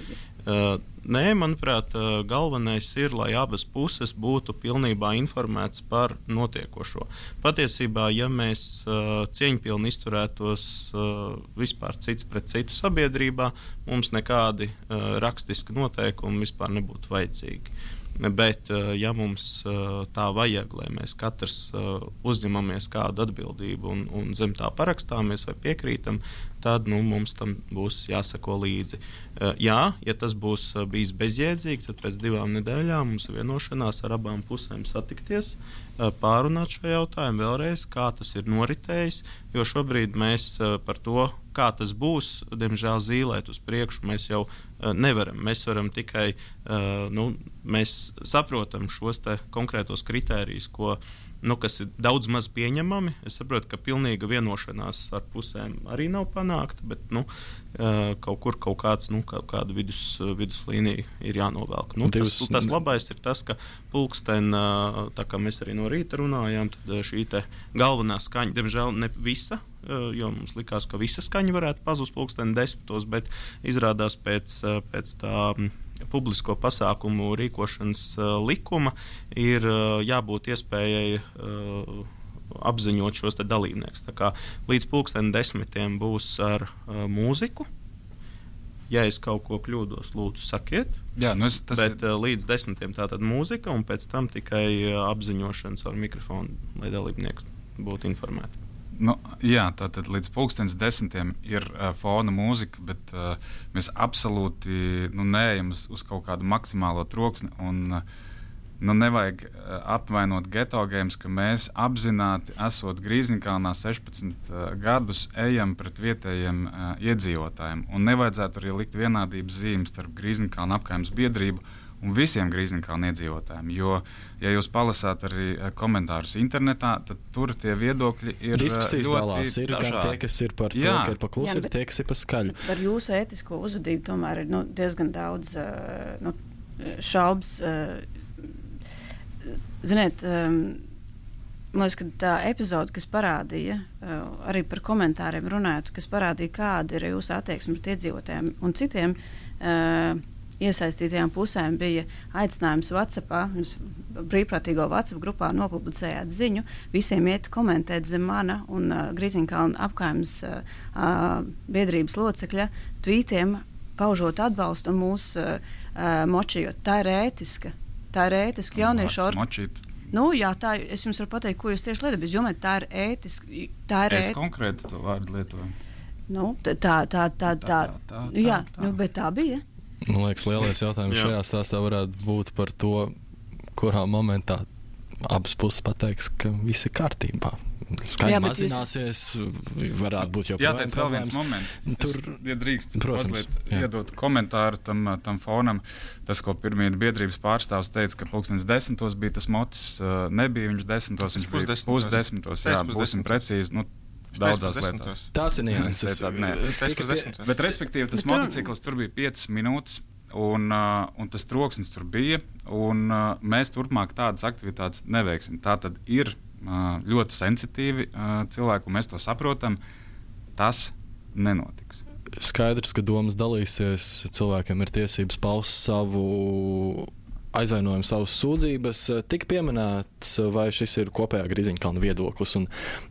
uh, nē, manuprāt, uh, galvenais ir, lai abas puses būtu pilnībā informētas par notiekošo. Patiesībā, ja mēs uh, cieņpilni izturētos uh, vispār cits pret citu sabiedrībā, mums nekādi uh, rakstiski noteikumi vispār nebūtu vajadzīgi. Bet, ja mums tā vajag, lai mēs katrs uzņemamies kādu atbildību un, un zem tā parakstāmies vai piekrītam, tad nu, mums tam būs jāseko līdzi. Jā, ja tas būs bijis bezjēdzīgi, tad pēc divām nedēļām mums ir vienošanās ar abām pusēm satikties, pārunāt šo jautājumu vēlreiz, kā tas ir noritējis, jo šobrīd mēs par to, kā tas būs, diemžēl zīlēt uz priekšu mēs jau nevaram. Mēs varam tikai, nu, mēs saprotam šos te konkrētos kritērijus, ko, nu, kas ir daudz maz pieņemami. Es saprotu, ka pilnīga vienošanās ar pusēm arī nav panākta, bet, nu, kaut kur kaut kāds, nu, kaut kāda vidus, viduslīnija ir jānovelk. Nu, tas, tas labais ir tas, ka pulksten, tā kā mēs arī no rīta runājām, tad šī te galvenā skaņa, diemžēl ne visa, jo mums likās, ka visa skaņa varētu pazust pulksteni desmitos, bet izrādās pēc, pēc tā publisko pasākumu rīkošanas likuma ir jābūt iespējai apziņot šos te dalībniekus. Tā kā līdz pulksteni desmitiem būs ar mūziku. Ja es kaut ko kļūdos, lūdzu, sakiet. Jā, nu es, tas bet ir... līdz desmitiem tātad mūzika, un pēc tam tikai apziņošanas ar mikrofonu, lai dalībnieki būtu informēti. Nu, jā, tātad līdz pulkstenes desmitiem ir uh, fona mūzika, bet uh, mēs absolūti nu, neejam uz, uz kaut kādu maksimālo troksni. Un, uh, nu, nevajag uh, apvainot Geto Games, ka mēs apzināti, esot Grīziņkalnā sešpadsmit uh, gadus, ejam pret vietējiem uh, iedzīvotājiem. Un nevajadzētu arī likt vienādības zīmes starp Grīziņkalna apkaimes biedrību un visiem Grīziņkalna iedzīvotājiem. Jo, ja jūs palasāt arī komentārus internetā, tad tur tie viedokļi ir diskusijas ļoti dalās. Ir gan tie, kas ir par Jā. to, ka ir pa klusu, ir tie, kas ir pa skaļu. Par jūsu ētisko uzvedību tomēr ir nu, diezgan daudz uh, nu, šaubas. Uh, ziniet, um, man liekas, ka tā epizode, kas parādīja, uh, arī par komentāriem runājot, kas parādīja, kāda ir jūsu attieksme pret iedzīvotājiem un citiem uh, iesaistītajām pusēm, bija aicinājums WhatsAppā, jūs brīvprātīgo WhatsApp grupā nopublicējāt ziņu, visiem iet komentēt zem mana un uh, Grīziņkalna apkaimes uh, uh, biedrības locekļa tvītiem, paužot atbalstu un mūs uh, uh, močījot. Tā ir ētiska. Tā ir ētiska jauniešu organizācija. Nu, jā, tā, es jums varu pateikt, ko jūs tieši lietat, bet es domāju, tā ir ētiska. Tā ir es ēt... konkrēti to vārdu lietoju. Nu, tā, tā, tā, tā, tā, tā, tā, jā, tā. Nu, bet tā bija. Man liekas, lielais jautājums šajā stāstā varētu būt par to, kurā momentā abas puses pateiks, ka viss ir kārtībā. Skaņa mazināsies, jūs... varētu būt jau jā, tāds vēl viens moments. Tur, es, ja drīkst, protams, mazliet jā. iedot komentāru tam, tam fonam, tas, ko pirmie biedrības pārstāvs teica, ka pulkstenes desmitos bija tas motis, nebija viņš desmitos, viņš bija pusdesmitos, jā, būsim precīzi. Nu, daudzās lietās. Tas ir nianses. Bet, respektīvi, tas motocikls tur bija piecas minūtes, un, uh, un tas troksnis tur bija, un uh, mēs turpmāk tādas aktivitātes neveiksim. Tā tad ir uh, ļoti sensitīvi uh, cilvēki, un mēs to saprotam. Tas nenotiks. Skaidrs, ka domas dalīsies, cilvēkiem ir tiesības paust savu aizvainojumu, savas sūdzības. Tik pieminēts, vai šis ir kopējā Grīziņkalna viedoklis. Un,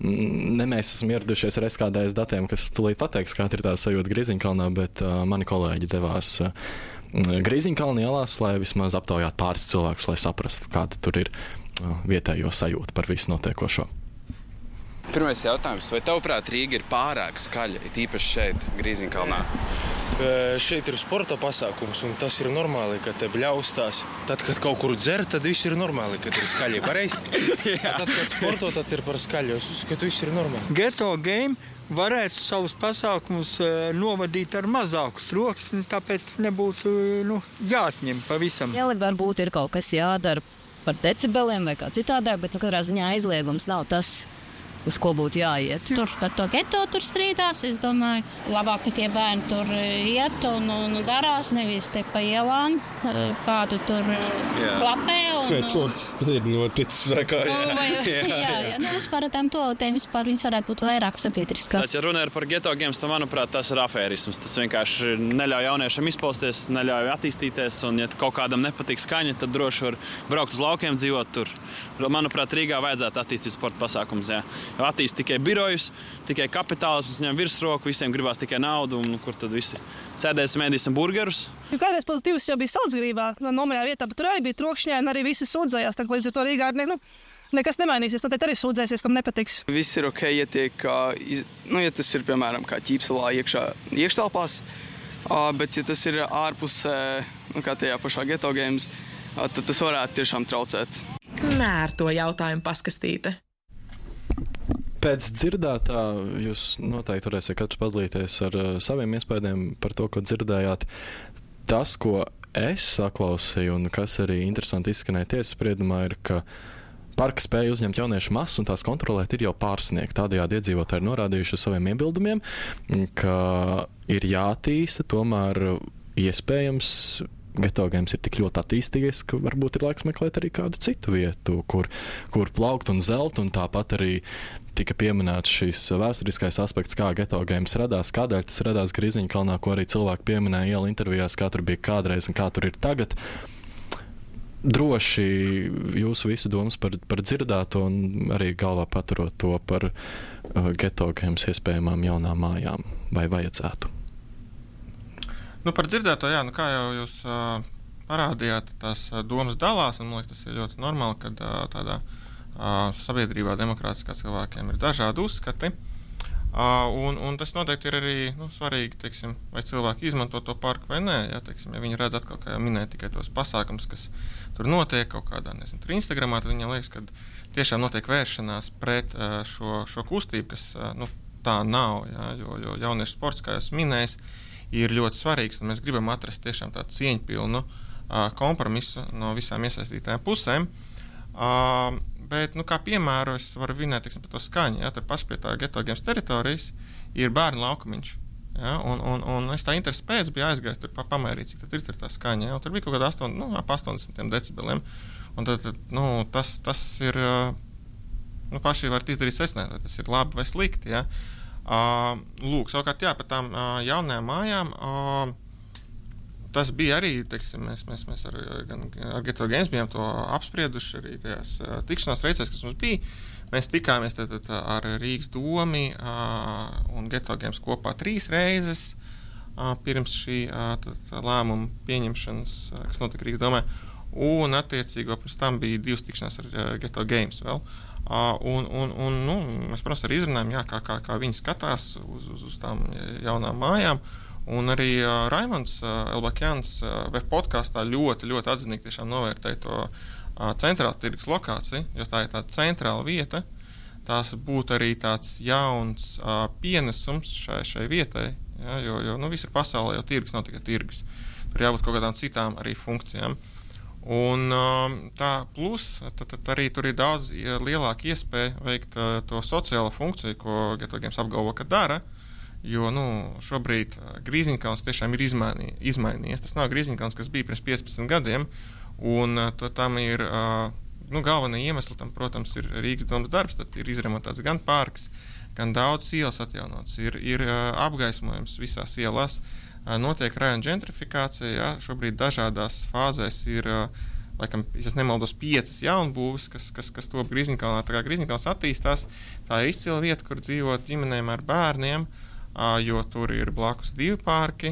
ne mēs esam ieradušies ar S K D S datiem, kas tūlīt pateiks, kāda ir tā sajūta Grīziņkalnā, bet uh, mani kolēģi devās uh, Grīziņkalna ielās, lai vismaz aptaujātu pāris cilvēkus, lai saprastu, kāda tur ir uh, vietējo sajūta par visu notiekošo. Pirmais jautājums, vai tavuprāt Rīga ir pārāk skaļa, it īpaši šeit, Grīziņkalnā? Šeit ir sporta pasākums, un tas ir normāli, ka te bļaustās. Tad, kad kaut kur dzer, tad viss ir normāli, kad ir skaļi. Pareizi? Tad, kad sporto, tad ir par skaļu. Es uzskatu, viss ir normāli. Geto Game varētu savus pasākumus novadīt ar mazāku troksni, tāpēc nebūtu nu, jāatņem pavisam. Jā, varbūt ir kaut kas jādara par decibeliem vai kā citādāk, bet nu, katrā ziņā aizliegums nav tas, uz ko būtu jāiet. Tur par to geto tur strīdās, es domāju, labāk, ka tie bērni tur iet un, un darās, nevis te pa ielām, kādu tur jā. Klapē. Un, to ir noticis vai kā, jā. Vai, jā, jā, jā. Nu, vispār tām toaletēm vispār viņas varētu būt vairāk sabiedriskas. Ja runa ir par geto games, tad, manuprāt, tas ir afērisms. Tas vienkārši neļauj jauniešiem izpausties, neļauj attīstīties, un ja kaut kādam nepatīk skaņa, tad droši var braukt uz laukiem, dzīvot tur. Manuprāt, Rīgā vajadzētu attīstīt sporta pasākumus. Jā. Attīst tikai birojus, tikai kapitālismus, ņem virsroku, visiem gribās tikai naudu, un kur tad visi sēdēsim, ēdīsim burgerus. Jo kādreiz pozitīvs jau bija Saldzgrībā, nomaļā vietā, bet tur arī bija trokšņā, un arī visi sūdzējās, tā līdz ar to Rīgā ne, nu, nekas nemainīsies, tad arī sūdzēsies, kam nepatiks. Viss ir ok, ja tiek, nu, ja tas ir, piemēram, kā ķīpselā iekšā iekštelpās, bet ja tas ir ārpus, nu, kā tajā pašā geto games, tad tas varētu tiešām traucēt. Nērto jautājumu paskastīte. Pēc dzirdētā jūs noteikti varēsiet katrs padalīties ar uh, saviem iespējām par to, ko dzirdējāt. Tas, ko es saklausīju un kas arī interesanti izskanēja tiesas spriedumā, ir, ka parka spēja uzņemt jauniešu masu un tās kontrolēt ir jau pārsniegt. Tādējādi iedzīvotāji ir norādījuši uz saviem iebildumiem, ka ir jātīsta, tomēr iespējams geto games ir tik ļoti attīstījies, ka varbūt ir laiks meklēt arī kādu citu vietu, kur, kur plaukt un zelt, un tāpat arī tika pieminēts šis vēsturiskais aspekts, kā geto games radās, kādēļ tas radās Grīziņkalnā, ko arī cilvēki pieminēja ielu intervijās, kā tur bija kādreiz un kā tur ir tagad. Droši jūsu visu domas par, par dzirdēto un arī galvā paturot to par uh, geto games iespējamām jaunām mājām, vai vajadzētu? Nu, par dzirdēto, jā, nu, kā jau jūs uh, parādījāt, tās uh, domas dalās, un man liekas, tas ir ļoti normāli, kad uh, tādā uh, sabiedrībā demokrātiskā cilvēkiem ir dažādi uzskati. Uh, un, un tas noteikti ir arī nu, svarīgi, teiksim, vai cilvēki izmanto to parku vai nē. Jā, teiksim, ja viņi redz atkal, kā jau minēja, tikai tos pasākums, kas tur notiek kaut kādā, nezinu, tur Instagramā, tad viņiem liekas, ka tiešām notiek vēršanās pret uh, šo, šo kustību, kas uh, nu, tā nav, jā, jo, jo jauniešu sports, kā jūs minējat, ir ļoti svarīgs, un mēs gribam atrast tiešām tādu cieņpilnu uh, kompromisu no visām iesaistītajām pusēm. Uh, bet, nu, kā piemēru, es varu vinēt, teiksim, par to skaņu. Ja, tur paši pie tā geto games teritorijas ir bērnu laukumiņš. Ja, un, un, un es tā interesi pēc biju aizgājis tur pa, pamērīt, cik tad ir tur tā skaņa. Ja, tur bija kaut kāda astoņi, nu, ap astoņdesmit decibeliem. Un tad, nu, tas, tas ir, uh, nu, paši varat izdarīt secināt, vai tas ir labi vai slikti, ja. Uh, lūk, savukārt, jā, par tām uh, jaunajām mājām, uh, tas bija arī, teiksim, mēs, mēs, mēs ar, gan, ar geto games bijām to apsprieduši arī tajās uh, tikšanās reizēs, kas mums bija. Mēs tikāmies tad, tad, ar Rīgas domi uh, un geto games kopā trīs reizes uh, pirms šī uh, tad, lēmuma pieņemšanas, uh, kas notika Rīgas domē, un attiecīgo pirms tam bija divas tikšanās ar uh, geto games vēl. Uh, un, un, un, nu, mēs, protams, arī izrunājam, jā, kā, kā, kā viņi skatās uz, uz, uz tām jaunām mājām. Un arī uh, Raimonds uh, Elbakjans uh, web podkastā ļoti, ļoti atzinīgi tiešām novērtēja to uh, centrāla tirgus lokāciju, jo tā ir tāda centrāla vieta. Tās būtu arī tāds jauns uh, pienesums šai, šai vietai, ja, jo, jo nu, visur pasaulē jau tirgus nav tikai tirgus. Tur jābūt kaut kādām citām arī funkcijām. Un tā plus, tad, tad arī tur ir daudz lielāka iespēja veikt uh, to sociālo funkciju, ko geto games apgalvo, ka dara, jo, nu, šobrīd Grīziņkalns tiešām ir izmainī, izmainījies. Tas nav Grīziņkalns, kas bija pirms piecpadsmit gadiem, un uh, tam ir, uh, nu, galvenie iemesli tam, protams, ir Rīgas domas darbs, tad ir izremontēts gan parks, gan daudz ielas atjaunots, ir, ir uh, apgaismojums visās ielās. Notiek rajona ģentrifikācija, jā, šobrīd dažādās fāzēs ir, laikam, ja es nemaldos, piecas jaunbūves, kas, kas, kas top Grīziņkalnā. Tā kā Grīziņkalns attīstās, tā ir izcila vieta, kur dzīvot ģimenēm ar bērniem, jo tur ir blakus divi parki,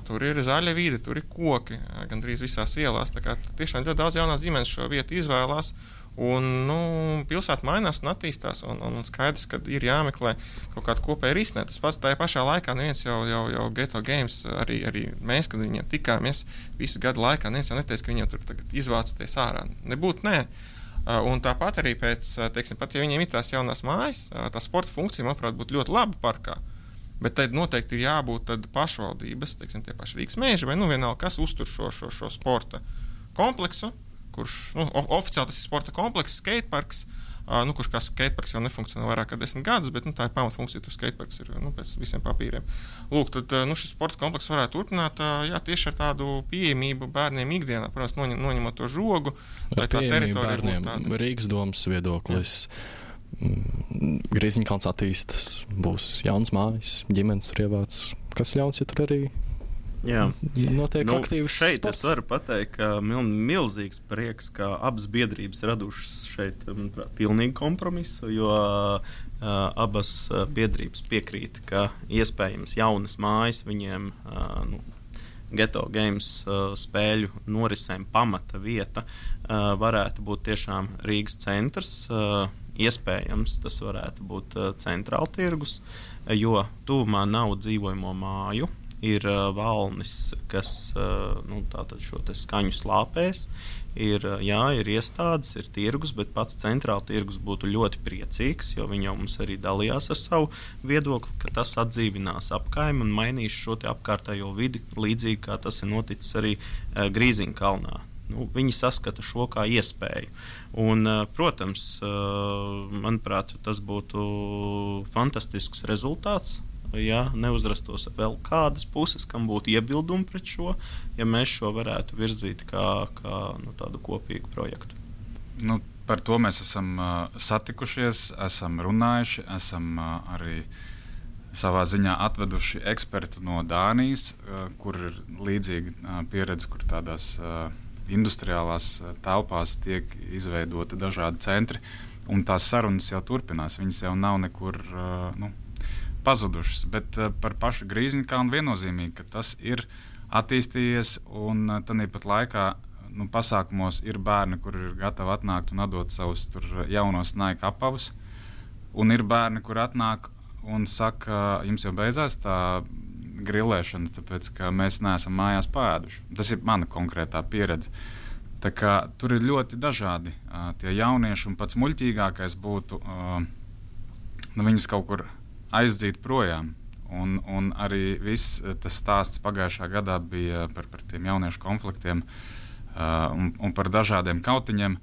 tur ir zaļa vide, tur ir koki, gandrīz visās ielās. Tā kā tiešām ļoti daudz jaunās ģimenes šo vietu izvēlās. Un, nu, pilsēta mainās un attīstās, un, un skaidrs, ka ir jāmeklē kaut kāda kopēja risinājumu. Tas pats tajā pašā laikā neviens jau, jau, jau geto games, arī, arī mēs, kad viņiem tikāmies visu gadu laikā, neviens jau neteica, ka viņiem tur tagad izvācaties ārā. Nebūtu, nē. Un tāpat arī pēc, teiksim, pat ja viņiem ir tās jaunās mājas, tā sporta funkcija, manuprāt, būtu ļoti laba parkā. Bet tad noteikti ir jābūt tad pašvaldības, teiksim, tie paši Rīgas meži, vai nu vienalga, kas uztur šo, šo, šo sporta kompleksu, kurš, nu, oficiāli tas ir sporta komplekss, skateparks, Uh, nu, kurš kā skateparks jau nefunkcionē vairāk kā desmit gadus, bet nu, tā ir pamatfunkcija, tur skateparks ir nu, pēc visiem papīriem. Lūk, tad nu, šis sporta komplekss varētu turpināt uh, jā, tieši ar tādu pieejamību bērniem ikdienā, protams, noņem, noņemot to žogu, lai tā teritorija būtu tāda. Rīgas domas viedoklis. Grīziņkalns attīstas, būs jauns mājas, ģimenes tur ievāc. Kas ļauns, ja tur arī Jā. notiek nu, aktīvs šeit sports? Es varu pateikt, ka mil, milzīgs prieks, ka abas biedrības radušas šeit, manuprāt, pilnīgi kompromisu, jo uh, abas biedrības piekrīt, ka iespējams jaunas mājas viņiem uh, nu, Geto Games uh, spēļu norisēm pamata vieta uh, varētu būt tiešām Rīgas centrs. Uh, iespējams, tas varētu būt uh, centrāla tirgus, jo tuvumā nav dzīvojamo māju. Ir uh, valnis, kas uh, nu, tātad šo te skaņu slāpēs. Ir, uh, jā, ir iestādes, ir tirgus, bet pats centrāla tirgus būtu ļoti priecīgs, jo viņi jau mums arī dalījās ar savu viedokli, ka tas atdzīvinās apkaimi un mainīs šo te apkārtējo vidi, līdzīgi kā tas ir noticis arī uh, Grīziņkalnā. Nu, viņi saskata šo kā iespēju. Un, uh, protams, uh, manuprāt, tas būtu fantastisks rezultāts. Ja neuzrastos vēl kādas puses, kam būtu iebildumi pret šo, ja mēs šo varētu virzīt kā, kā nu, tādu kopīgu projektu. Nu, par to mēs esam uh, satikušies, esam runājuši, esam uh, arī savā ziņā atveduši ekspertu no Dānijas, uh, kur ir līdzīga uh, pieredze, kur tādās uh, industriālās uh, telpās tiek izveidoti dažādi centri, un tās sarunas jau turpinās, viņas jau nav nekur uh, nu, pazudušas, bet uh, par pašu Grīziņkalnu viennozīmīgi, ka tas ir attīstījies un uh, tāpat laikā nu, pasākumos ir bērni, kuri ir gatavi atnākt un atdot savus tur jaunos Nike apavus, un ir bērni, kuri atnāk un saka, jums jau beidzās tā grilēšana, tāpēc, ka mēs neesam mājās pēduši. Tas ir mana konkrētā pieredze. Tā kā tur ir ļoti dažādi uh, tie jaunieši, un pats muļķīgākais būtu uh, nu, viņus kaut kur aizdzīt projām. Un, un arī viss tas stāsts pagājušā gadā bija par, par tiem jauniešu konfliktiem uh, un, un par dažādiem kautiņiem.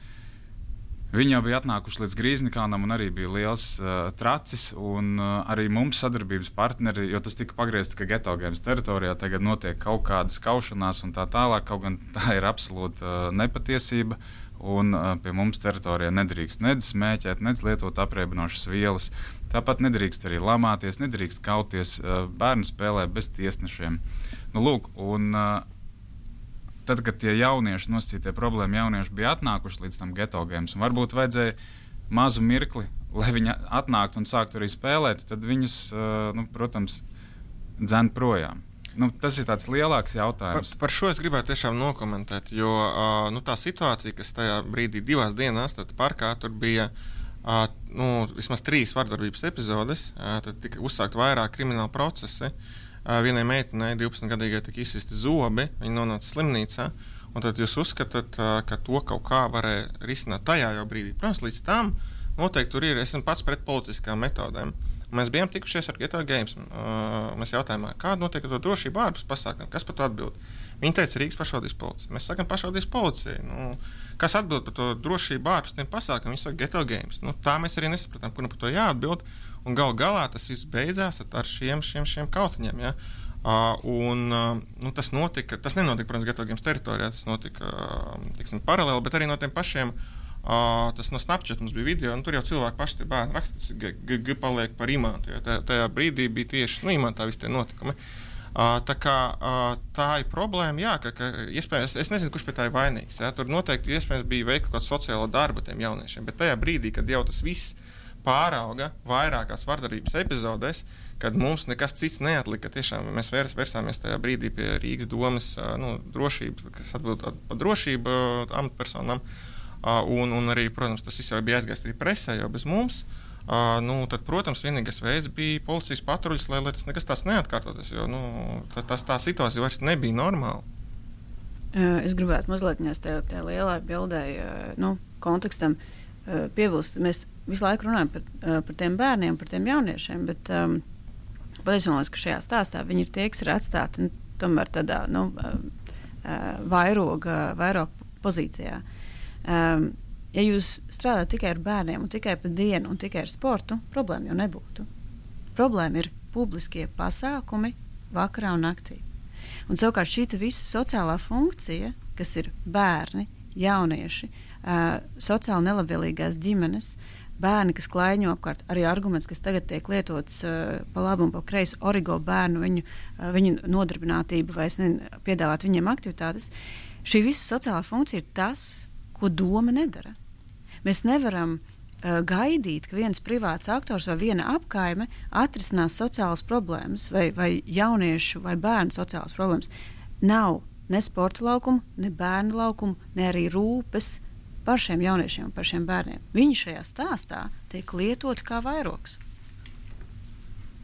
Viņi jau bija atnākuši līdz Grīziņkalnam un arī bija liels uh, tracis, un uh, arī mums sadarbības partneri, jo tas tika pagriezts, ka Geto Games teritorijā tagad notiek kaut kādas kaušanās un tā tālāk, kaut gan tā ir absolūta uh, nepatiesība. Un uh, pie mums teritorijā nedrīkst nedz smēķēt, nedz lietot apriebinošas vielas. Tāpat nedrīkst arī lamāties, nedrīkst kauties, uh, bērni spēlē bez tiesnešiem. Nu, lūk, un uh, tad, kad tie jaunieši, nosacītie problēma jaunieši bija atnākuši līdz tam Geto Games, un varbūt vajadzēja mazu mirkli, lai viņi atnāktu un sāktu arī spēlēt, tad viņus, uh, nu, protams, dzen projām. Nu, tas ir tāds lielāks jautājums. Par, par šo es gribētu tiešām nokomentēt, jo uh, nu, tā situācija, kas tajā brīdī divās dienās tad parkā, tur bija uh, nu, vismaz trīs vardarbības epizodes, uh, tad tika uzsākt vairāk krimināli procesi. Uh, vienai meitenei, divpadsmitgadīgai, tika izsisti zobi, viņa nonāca slimnīcā, un tad jūs uzskatāt, uh, ka to kaut kā varēja risināt tajā jau brīdī. Protams, līdz tam noteikti tur ir, esmu pats pret politiskām metodēm. Mēs bijām tikušies ar Geto Games. Uh, mēs jautājām, kāda notiek ar to drošību ārpus pasākumiem, kas par to atbild. Viņi teica, Rīgas pašvaldības policija. Mēs sakām, pašvaldības policija. Nu, kas atbild par to drošību ārpus tiem pasākumiem? Viņi saka, Geto Games. Nu, tā mēs arī nesapratām, kur nu par to jāatbild. Un gal galā tas viss beidzās ar šiem, šiem, šiem kautiņiem. Ja? Uh, un, uh, nu, tas notika, tas nenotika, protams, Geto Games teritorijā, tas notika uh, tiksim, paralēli, bet arī no tiem pašiem. Uh, tas no Snapchat mums bija video, un tur jau cilvēki paši tie bērni raksta, tas g, g, g paliek par imantu, jo tajā, tajā brīdī bija tieši, nu, imantā visi tie notikumi. Uh, tā kā uh, tā ir problēma, jā, ka, ka iespējams, es nezinu, kurš pie tā ir vainīgs, jā, tur noteikti iespējams bija veikt kaut kādu sociālo darbu tiem jauniešiem, bet tajā brīdī, kad jau tas viss pārauga vairākās vardarbības epizodēs, kad mums nekas cits neatlika, tiešām mēs vērs, vērsāmies tajā brīdī pie Rīgas domas, uh, nu, drošība, kas atbild par drošību uh, amatpersonām. Uh, un, un arī, protams, tas viss jau bija aizgājis arī presē, jo bez mums. Uh, nu, tad, protams, vienīgais veids bija policijas patruļas, lai, lai tas nekas tāds neatkārtoties, jo nu, tā, tā, tā situācija vairs nebija normāla. Uh, es gribētu mazliet tajā, tajā lielā bildē, uh, nu, kontekstam uh, piebilst. Mēs visu laiku runājam par, uh, par tiem bērniem, par tiem jauniešiem, bet um, patiesībā, ka šajā stāstā viņi ir tie, kas ir atstāti nu, tomēr tādā nu, uh, uh, vairoga, vairoga pozīcijā. Um, Ja jūs strādājat tikai ar bērniem, un tikai pa dienu, un tikai ar sportu, problēma jau nebūtu. Problēma ir publiskie pasākumi vakarā un naktī. Un savukārt šī visa sociālā funkcija, kas ir bērni, jaunieši, uh, sociāli nelabvēlīgās ģimenes, bērni, kas klaiņo apkārt, arī arguments, kas tagad tiek lietots uh, pa labu un pa kreisi, origo bērnu, viņu, uh, viņu nodarbinātību vai nezinu, piedāvāt viņiem aktivitātes. Šī visa sociālā funkcija ir tas, ko doma nedara. Mēs nevaram uh, gaidīt, ka viens privāts aktors vai viena apkaime atrisinās sociālas problēmas vai, vai jauniešu vai bērnu sociālas problēmas. Nav ne sporta laukumu, ne bērnu laukumu, ne arī rūpes par šiem jauniešiem un par šiem bērniem. Viņi šajā stāstā tiek lietoti kā vairogs.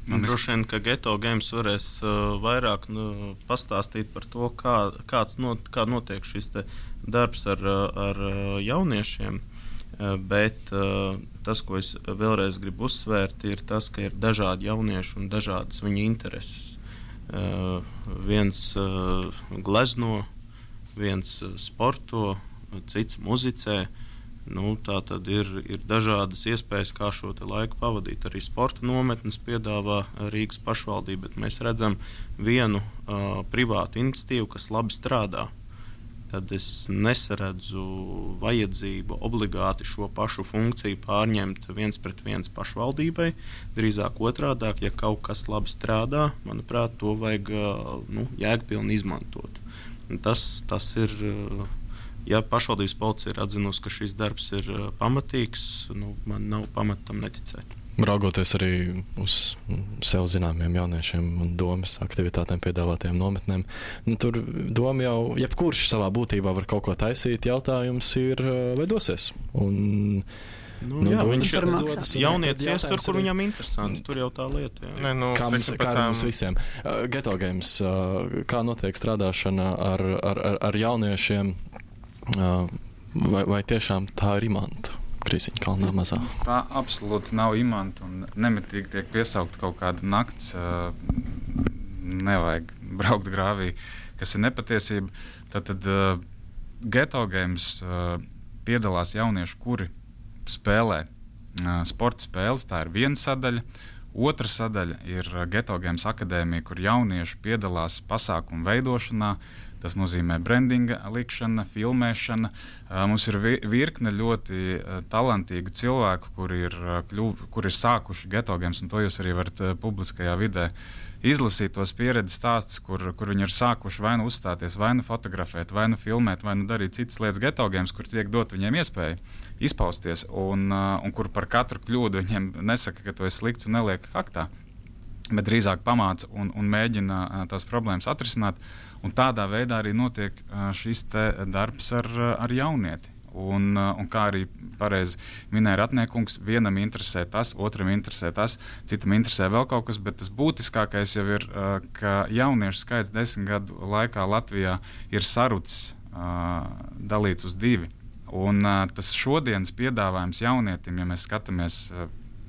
Man droši vien, ka Geto Games varēs uh, vairāk nu, pastāstīt par to, kā, kāds not, kā notiek šis darbs ar, ar jauniešiem, uh, bet uh, tas, ko es vēlreiz gribu uzsvērt, ir tas, ka ir dažādi jaunieši un dažādas viņu intereses. Uh, viens uh, glezno, viens uh, sporto, cits muzicē. Nu, tā tad ir, ir dažādas iespējas, kā šo laiku pavadīt. Arī sporta nometnes piedāvā Rīgas pašvaldība, bet mēs redzam vienu uh, privātu iniciatīvu, kas labi strādā. Tad es nesaredzu vajadzību obligāti šo pašu funkciju pārņemt viens pret viens pašvaldībai. Drīzāk otrādāk, ja kaut kas labi strādā, manuprāt, to vajag nu, jēgpilni izmantot. Tas, tas ir, ja pašvaldības policija ir atzinusi, ka šis darbs ir pamatīgs, nu, man nav pamata tam neticēt. Raugoties arī uz sev zināmiem jauniešiem un domas aktivitātēm piedāvātajām nometnēm, nu, tur doma jau, jebkurš savā būtībā var kaut ko taisīt, jautājums ir, vai dosies. Un, nu, nu, jā, viņš ir dodas, jaunietis ies tur, kur viņam interesanti, tur jau tā lieta. Jā. Ne, nu, kā mums, kā mums visiem. Uh, Geto Games, uh, kā notiek strādāšana ar, ar, ar, ar jauniešiem, uh, vai, vai tiešām tā ir imanta? Grīziņkalnā mazā. Tā absolūti nav imanta un nemitīgi tiek piesaukt kaut kāda nakts. Nevajag braukt grāvī, kas ir nepatiesība. Tātad uh, Geto Games uh, piedalās jaunieši, kuri spēlē uh, sporta spēles. Tā ir viena sadaļa. Otra sadaļa ir Geto Games akadēmija, kur jaunieši piedalās pasākumu veidošanā. Tas nozīmē brandinga likšana, filmēšana. Mums ir virkne ļoti talantīgu cilvēku, kuri ir, kļuv, kuri ir sākuši Geto Games, un to jūs arī varat publiskajā vidē izlasīt tos pieredzes stāstus, kur, kur viņi ir sākuši vai nu uzstāties, vai nu fotografēt, vai nu filmēt, vai nu darīt citas lietas Geto Games, kur tiek dot viņiem iespēju izpausties, un, un kur par katru kļūdu viņiem nesaka, ka tu esi slikts un neliek kaktā, bet drīzāk pamāca un, un mēģina tās problēmas atrisināt. Un tādā veidā arī notiek šis darbs ar, ar jaunieti. Un, un kā arī pareizi minēja Ratniekungs, vienam interesē tas, otram interesē tas, citam interesē vēl kaut kas, bet tas būtiskākais jau ir, ka jauniešu skaits desmit gadu laikā Latvijā ir sarucis, dalīts uz divi. Un tas šodienas piedāvājums jaunietim, ja mēs skatāmies,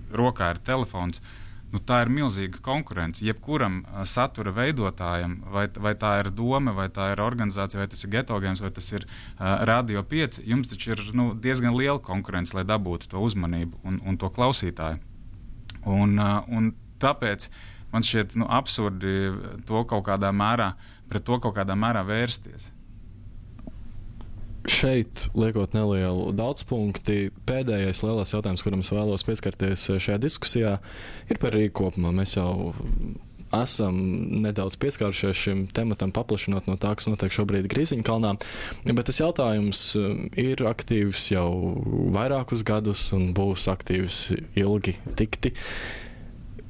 rokā ir telefons, nu, tā ir milzīga konkurence. Jebkuram uh, satura veidotājam, vai, vai tā ir doma, vai tā ir organizācija, vai tas ir Geto Games, vai tas ir uh, Radio pieci, jums taču ir nu, diezgan liela konkurence, lai dabūtu to uzmanību un, un to klausītāju. Un, uh, un tāpēc man šķiet nu, absurdi to kaut kādā mērā, pret to kaut kādā mērā vērsties. Šeit, liekot nelielu daudzpunkti, pēdējais lielais jautājums, kuram es vēlos pieskarties šajā diskusijā, ir par Rīgu kopumā. Mēs jau esam nedaudz pieskārušies šim tematam, paplašinot no tā, kas notiek šobrīd Grīziņkalnā, bet tas jautājums ir aktīvs jau vairākus gadus un būs aktīvs ilgi tikti.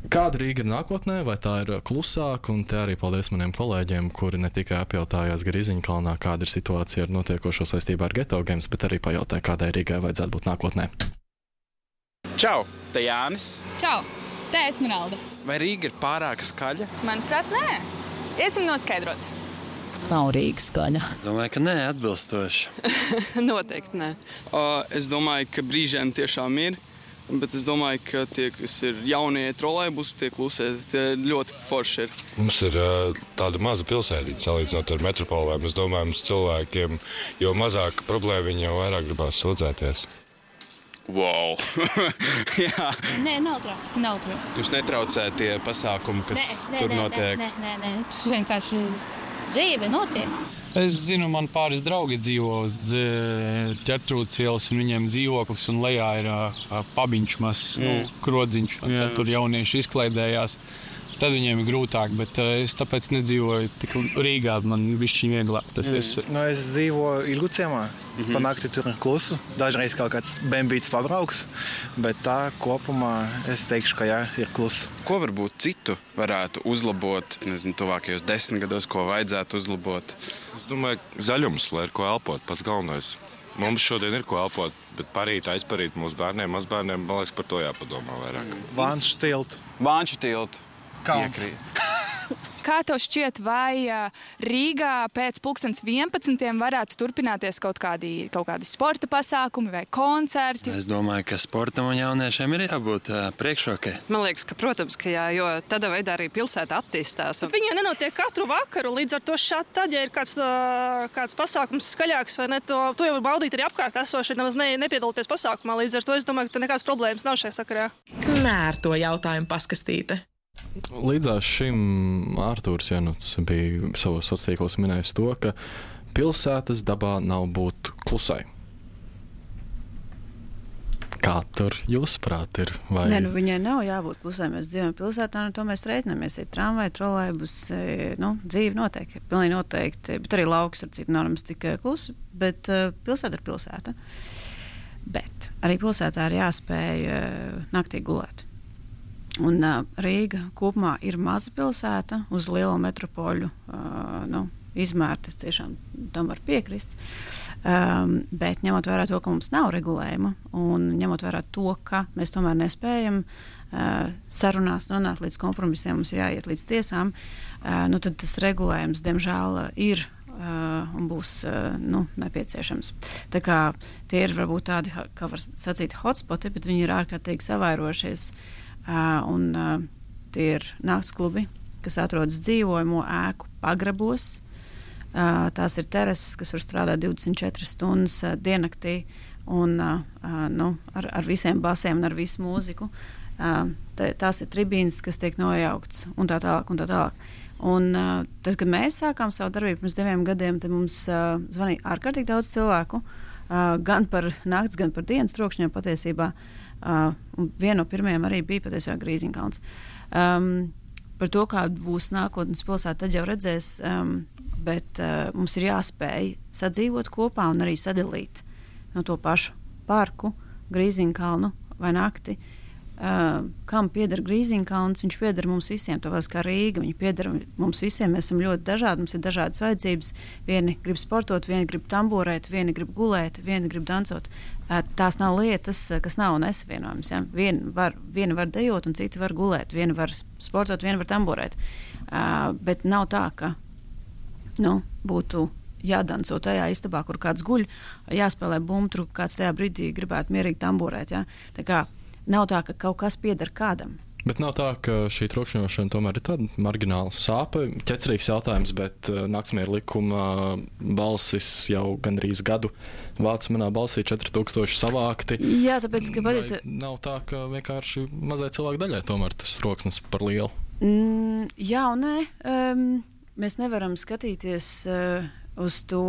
Kāda Rīga ir nākotnē, vai tā ir klusāka, un te arī paldies maniem kolēģiem, kuri ne tikai apjautājās Grīziņkalnā, kāda ir situācija ar notiekošo saistībā ar Geto Games, bet arī pajautāja, kādai Rīgai vajadzētu būt nākotnē. Čau, te Jānis. Čau, te Esmeralda. Vai Rīga ir pārāk skaļa? Manuprāt, nē. Iesim noskaidrot. Nav Rīga skaļa. Domāju, ka nē, atbilstoši. Noteikti nē. Uh, es domāju, ka brīžiem tiešām ir. bet es domāju, ka tie, kas ir jaunie trolejbusi, tie klusē, tie ļoti forši ir. Mums ir uh, tāda maza pilsētiņa salīdzinot ar metropolēm. Es domāju, mums cilvēkiem, jo mazāk problēma, viņi jau vairāk gribās sūdzēties. Wow! Jā. Nē, nav trauc. Nav trauc. Jums netraucē tie pasākumi, kas nē, tur nē, notiek? Nē, nē, nē. Tas vienkārši dzīve notiek. Es zinu, man pāris draugi dzīvo uz Ķertrūdas ielas, un viņiem dzīvoklis, un lejā ir uh, pabiņš mazs, mm. nu, krodziņš, un tad tur jaunieši izklaidējās. Tad viņiem ir grūtāk, bet uh, es tāpēc nedzīvoju tik Rīgā, man bišķiņ vieglāk tas mm. ir. Nu, es dzīvoju Ilgu ciemā, mm-hmm. pa nakti tur klusu, dažreiz kaut kāds bembīts pabrauks, bet tā kopumā es teikšu, ka jā, ir klusu. Ko varbūt citu varētu uzlabot, nezinu, tuvākajos desmit gados, ko vajadzētu uzlabot? Es domāju, zaļums, lai ir ko elpot, pats galvenais. Mums šodien ir ko elpot, bet parīt, aizparīt mūsu bērniem, mazbērniem, man liekas, par to jāpadomā vairāk. Vānšu tiltu. Vānšu tiltu. Kalns. Kā tev šķiet, vai Rīgā pēc pulkstens vienpadsmitiem varētu turpināties kaut kādi, kaut kādi sporta pasākumi vai koncerti? Es domāju, ka sportam un jauniešiem ir jābūt uh, priekšrokai. Man liekas, ka, protams, ka jā, jo tādā veidā arī pilsēta attīstās. Un... Viņi nenotiek katru vakaru, līdz ar to šādi tad, ja ir kāds, kāds pasākums skaļāks vai ne, to, to jau var baudīt arī apkārt esoši, nemaz ne, nepiedalīties pasākumā. Līdz ar to es domāju, ka nekādas problēmas nav šajā sakarā. Knērto jautājumu paskastīte. Līdzās šim Ārtūrs Januts bija savos sociālos tīklos minējis to, ka pilsētas dabā nav būt klusai. Kā tur jūsuprāt ir? Vai... Nē, nu viņai nav jābūt klusai. Mēs dzīvojam pilsētā, un to mēs reiķinamies. Ir tramvai, trolejbus, nu, dzīve noteikti, pilnīgi noteikti, bet arī lauks ar citu normas tikai klusi, bet uh, pilsēta ir pilsēta. Bet arī pilsētā ir jāspēj uh, naktī gulēt. Un uh, Rīga kopumā ir maza pilsēta uz lielo metropoļu uh, nu, izmēru. Tas tiešām tam var piekrist. Um, bet ņemot vērā to, ka mums nav regulējuma un ņemot vērā to, ka mēs tomēr nespējam uh, sarunās nonākt līdz kompromisiem, mums jāiet līdz tiesām, uh, nu, tad tas regulējums, diemžēl, ir uh, un būs uh, nu, nepieciešams. Tā kā tie ir varbūt tādi, kā var sacīt, hotspoti, bet viņi ir ārkārtīgi savairošies. Uh, un uh, tie ir nakts klubi, kas atrodas dzīvojamo ēku pagrabos. Uh, tās ir terases, kas var strādāt divdesmit četras stundas uh, diennaktī un uh, uh, nu, ar, ar visiem basiem un ar visu mūziku. Uh, tā, tās ir tribīnes, kas tiek nojauktas un tā tālāk. Un tā tālāk. Un, uh, tad, kad mēs sākām savu darbību pirms diviem gadiem, tad mums uh, zvanīja ārkārtīgi daudz cilvēku, uh, gan par nakts, gan par dienas trokšņiem patiesībā. Uh, viena no pirmajām arī bija patiesībā Grīziņkalns. Um, par to, kāda būs nākotnes pilsēta, tad jau redzēs, um, bet uh, mums ir jāspēj sadzīvot kopā un arī sadalīt no to pašu parku, Grīziņkalnu vai nakti. Uh, kam pieder Grīziņkalns? Viņš pieder mums visiem, tāpēc kā Rīga. Viņi pieder mums visiem, mēs esam ļoti dažādi, mums ir dažādas vajadzības. Vieni grib sportot, vieni grib tamborēt, vieni grib gulēt, vieni grib dancot. Uh, tās nav lietas, kas nav nesavienojams. Ja? Vieni var, vieni var dejot un citi var gulēt, vieni var sportot, vieni var tamborēt. Uh, bet nav tā, ka nu, būtu jādanco tajā istabā, kur kāds guļ, jāspēlē bumtru, kāds tajā brīdī gribētu mierīgi tamborēt. Ja? Tā kā nav tā, ka kaut kas pieder kādam. Bet nav tā, ka šī trokšņošana tomēr ir tāda margināla sāpe. Ķecerīgs jautājums, bet uh, naktsmieru likuma balsis jau gandrīz gadu vāc manā balsī četri tūkstoši savākti. Jā, tāpēc, ka patiesi... Nav tā, ka vienkārši mazai cilvēku daļai tomēr tas troksnis par lielu. Mm, jā un nē. Um, mēs nevaram skatīties uh, uz to,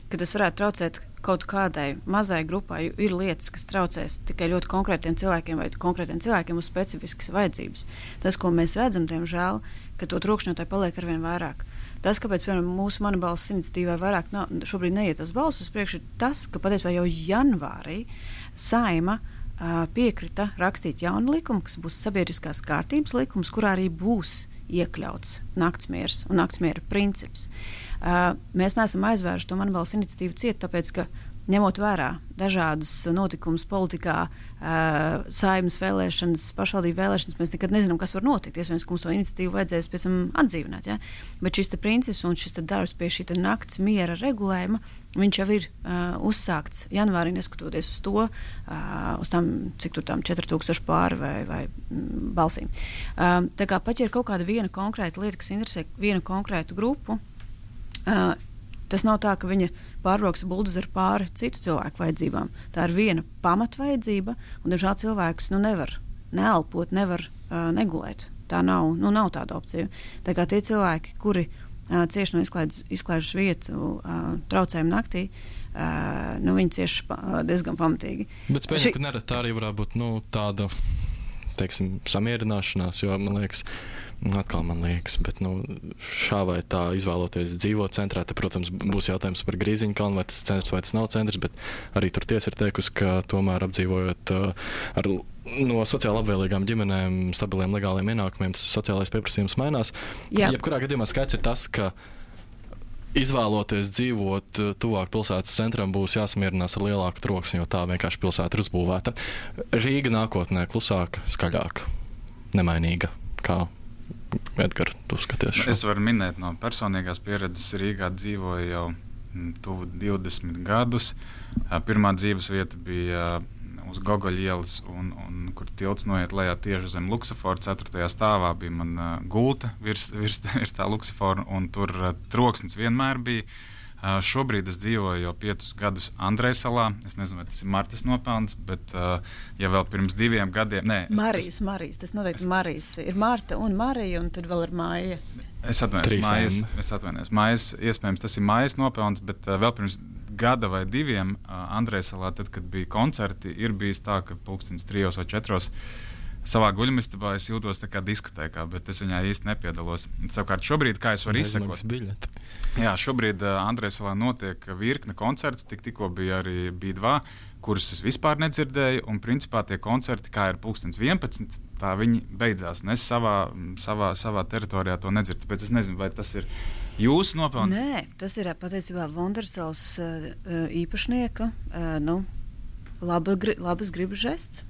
ka tas varētu traucēt kaut kādai mazai grupai. Ir lietas, kas traucēs tikai ļoti konkrētiem cilvēkiem vai konkrētiem cilvēkiem uz specifiskas vajadzības. Tas, ko mēs redzam, diemžēl, ka to trokšņotāji paliek arvien vairāk. Tas, kāpēc, piemēram, mūsu Mana balss iniciatīvā vairāk nav, šobrīd neiet tas balss uz priekšu, ir tas, ka patiesībā jau janvārī Saeima uh, piekrita rakstīt jaunu likumu, kas būs sabiedriskās kārtības likums, kurā arī būs iekļauts naktsmieres un naktsmiera princips. Uh, mēs neesam aizvēruši to Mana balss iniciatīvu ciet, tāpēc, ka ņemot vērā dažādas notikumus politikā, uh, saimnes vēlēšanas, pašvaldību vēlēšanas, mēs nekad nezinām, kas var notikt. Iespējams, ka mums to iniciatīvu vajadzēs pēc tam atdzīvināt. Ja? Bet šis princips un šis darbs pie šī nakts miera regulējuma, viņš jau ir uh, uzsākts janvārī, neskatoties uz to, uh, uz tām, cik tur tām četri tūkstoši pāri vai, vai mm, balsīm. Uh, tā kā pat ja ir kaut kāda viena konkrēta lieta, kas interesē vienu konkrētu grupu, uh, tas nav tā, ka viņa pārbrauks buldozeru pāri citu cilvēku vajadzībām. Tā ir viena pamatvajadzība, un, diemžēl, cilvēks nu, nevar neelpot, nevar uh, negulēt. Tā nav, nu, nav tāda opcija. Tā kā tie cilvēki, kuri uh, cieši no izklaides, izklaides vietu uh, traucējumu naktī, uh, nu, viņi cieši pa, uh, diezgan pamatīgi. Bet spēļam, Ši... ka nerad tā arī varētu būt nu, tāda, teiksim, samierināšanās, jo, man liekas, atkal man liekas, bet nu, šā vai tā izvēloties dzīvot centrā, te, protams, būs jautājums par Grīziņkalnu, vai tas centrs vai tas nav centrs, bet arī tur tiesa ir teikusi, ka tomēr apdzīvojot uh, ar no sociāli labvēlīgām ģimenēm, stabiliem legāliem ienākumiem, tas sociālais pieprasījums mainās. Jā. Jebkurā gadījumā skaidrs ir tas, ka izvēloties dzīvot tuvāk pilsētas centram, būs jāsamierinās ar lielāku troksni, jo tā vienkārši pilsēta ir uzbūvēta. Rīga nākotnē klusāka, skaļāka, nemainīga, kā Edgar, tu skaties šo. Es varu minēt no personīgās pieredzes. Rīgā dzīvoju jau tuvu divdesmit gadus. Pirmā dzīves vieta bija uz Gogoļa ielas, un, un kur tilts noiet lejā tieši zem Luksafora. ceturtajā stāvā bija man uh, gulta virs, virs, virs tā Luksafora, un tur uh, troksnis vienmēr bija. Uh, šobrīd es dzīvoju jau piecus gadus Andrejsalā. Es nezinu, vai tas ir Martas nopelns, bet uh, ja vēl pirms diviem gadiem... Nē, es, Marijas, es, Marijas, tas noteikti es, Marijas. Ir Marta un Marija, un tad vēl ir Māja. Es atvainojos, Mājas, es atvainojos. Mājas, iespējams, tas ir Mājas nopelns, bet uh, vēl pirms gada vai diviem uh, Andrejsalā, tad, kad bija koncerti, ir bijis tā, ka pulkstens trijos vai četros savā guļamistabā es jūtos tā kā diskotēkā, bet es viņā īsti nepiedalos. Savukārt šobrīd, kā es varu izsekot, jā, šobrīd uh, Andrejsalā notiek virkne koncertu, tik tikko bija arī B dva, kurus es vispār nedzirdēju, un principā tie koncerti, kā ir pulkstens vienpadsmit, tā viņi beidzās, un es savā, savā, savā teritorijā to nedzirdu, tāpēc es nezinu, vai tas ir jūsu nopelns? Nē, tas ir patiesībā Vondersals uh, īpašnieka, uh, nu, laba, gri, labas gribas žests.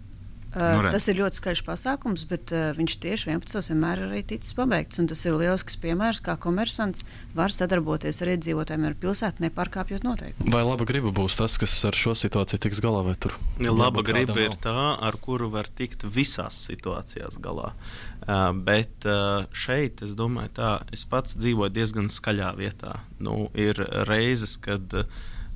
Uh, nu, tas ir ļoti skaļš pasākums, bet uh, viņš tieši vienpadsmitos vienmēr ir arī ticis pabeigts. Un tas ir lielisks piemērs, kā komersants var sadarboties ar iedzīvotājiem ar pilsētu, nepārkāpjot noteikumus. Vai laba griba būs tas, kas ar šo situāciju tiks galā, vai tur? Ja, laba griba ir tā, ar kuru var tikt visās situācijās galā. Uh, bet uh, šeit, es domāju tā, es pats dzīvoju diezgan skaļā vietā. Nu, ir reizes, kad uh,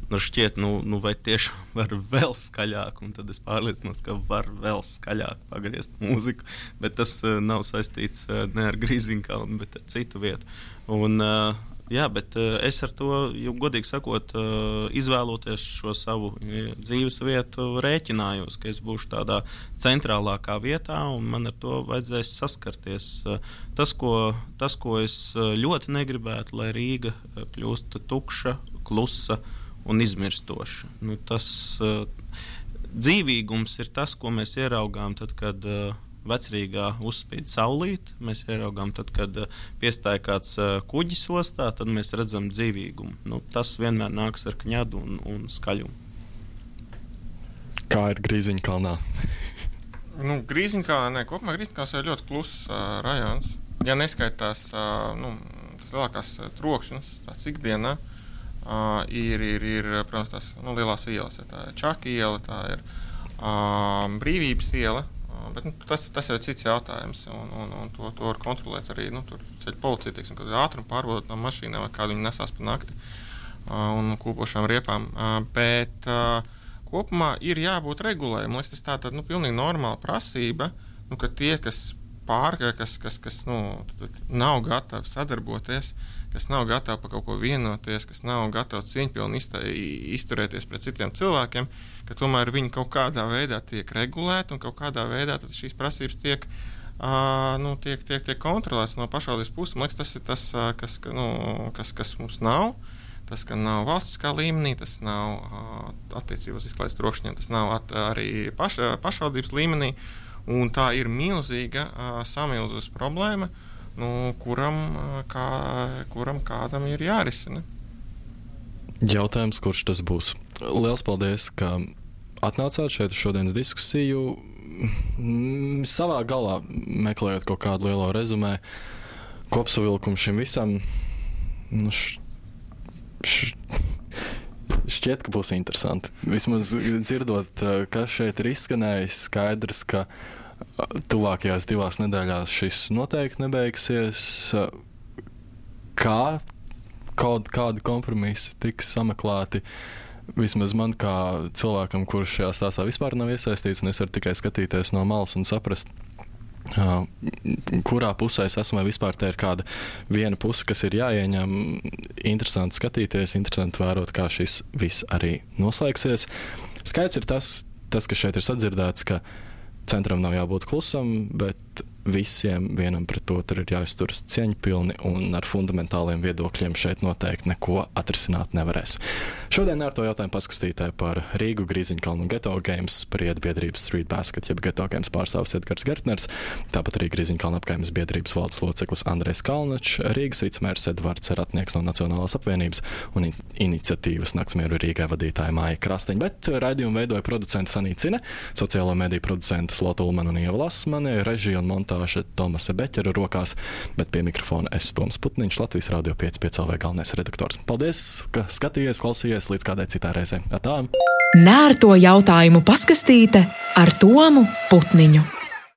Nu, šķiet, nu, nu, vai tiešām var vēl skaļāk, un tad es pārliecinos, ka var vēl skaļāk pagriezt mūziku, bet tas uh, nav saistīts uh, ne ar Grīziņkalnu, bet ar citu vietu. Un, uh, jā, bet uh, es ar to, jau godīgi sakot, uh, izvēloties šo savu uh, dzīves vietu, rēķinājos, ka es būšu tādā centrālākā vietā, un man ar to vajadzēs saskarties. Uh, tas, ko, tas, ko es ļoti negribētu, lai Rīga kļūst tukša, klusa, un izmirstoši. Nu, tas uh, dzīvīgums ir tas, ko mēs ieraugām tad, kad uh, vecrīgā uzspīd saulīte, mēs ieraugām tad, kad uh, piestāja kāds uh, kuģis ostā, tad mēs redzam dzīvīgumu. Nu, tas vienmēr nāks ar kņadu un, un skaļumu. Kā ir Grīziņkalnā? nu, Grīziņkalnā, ne, kopumā Grīziņkalns ir ļoti kluss uh, rajons. Ja neskaitās uh, nu, tas lielākās uh, trokšņas, tāds ikdienā, Uh, ir, ir, ir, protams, tās nu, lielās ielas. Tā ir Čaka iela, tā ir uh, Brīvības iela, uh, bet nu, tas, tas jau ir cits jautājums, un, un, un to, to var kontrolēt arī, nu, tur ceļu policija, teiksim, kad ir ātrumu pārbaudot no mašīnām, vai kādu viņi nesās pa nakti uh, un kūpošām riepām, uh, bet uh, kopumā ir jābūt regulējumam. Tas tā tad, nu, pilnīgi normāla prasība, nu, ka tie, kas pārgāja, kas, kas, kas nu, tad, tad nav gatavi sadarboties, kas nav gatavi par kaut ko vienoties, kas nav gatavi cieņpilni izturēties pret citiem cilvēkiem, ka tomēr viņi kaut kādā veidā tiek regulēti un kaut kādā veidā tad šīs prasības tiek, uh, nu, tiek, tiek, tiek kontrolētas no pašvaldības puses. Man liekas, tas ir tas, uh, kas, nu, kas, kas mums nav. Tas, ka nav valstiskā līmenī, tas nav uh, attiecībos izklaides trokšņiem, tas nav at, arī paš, pašvaldības līmenī. Un tā ir milzīga uh, samilzus problēma, nu, kuram, kā, kuram kādam ir jārisina. Jautājums, kurš tas būs? Liels paldies, ka atnācāt šeit uz šodienas diskusiju. Savā galā meklējot kaut kādu lielo rezumē, kopsavilkumu šim visam, nu, š, š, šķiet, ka būs interesanti. Vismaz dzirdot, kas šeit ir izskanējis, skaidrs, ka tuvākajās divās nedēļās šis noteikti nebeigsies. Kā kaut kādi kompromisi tiks sameklēti? Vismaz man kā cilvēkam, kurš šajā stāstā vispār nav iesaistīts, un es varu tikai skatīties no malas un saprast, uh, kurā pusē es esmu, vai vispār te ir kāda viena puse, kas ir jāieņem. Interesanti skatīties, interesanti vērot, kā šis viss arī noslēgsies. Skaidrs ir tas, tas, kas šeit ir sadzirdēts, ka centram nav jābūt klusam, bet visiem vienam pret otru ir jāizturas cieņpilni, un ar fundamentāliem viedokļiem šeit noteikti neko atrisināt nevarēs. Šodien ar to jautājumu paskastītē par Rīgu, Grīziņkalnu un Geto Games spried biedrības Street Basket, jeb Geto Games pārstāvis Edgars Gertners, tāpat arī Grīziņkalnu apkaimes biedrības valdes loceklis Andrejs Kalnačs, Rīgas vicemērs Edvards Ratnieks no Nacionālās apvienības un iniciatīvas Naktsmieru Rīgai vadītāja Māja Krasteņa, bet raidījumu veidoja producenta Sanīta Cine, sociālo mediju producenta Slota Ulmana un Ieva Lasmane, režija un montāža Tomasa Beķera rokās, bet pie mikrofona es Toms Putniņš, Latvijas Radio pieci pieci L V galvenais redaktors. Paldies, ka skatījies, klausījies līdz kādai citai reizei. Tā! Nērto jautājumu paskastīte ar Tomu Putniņu.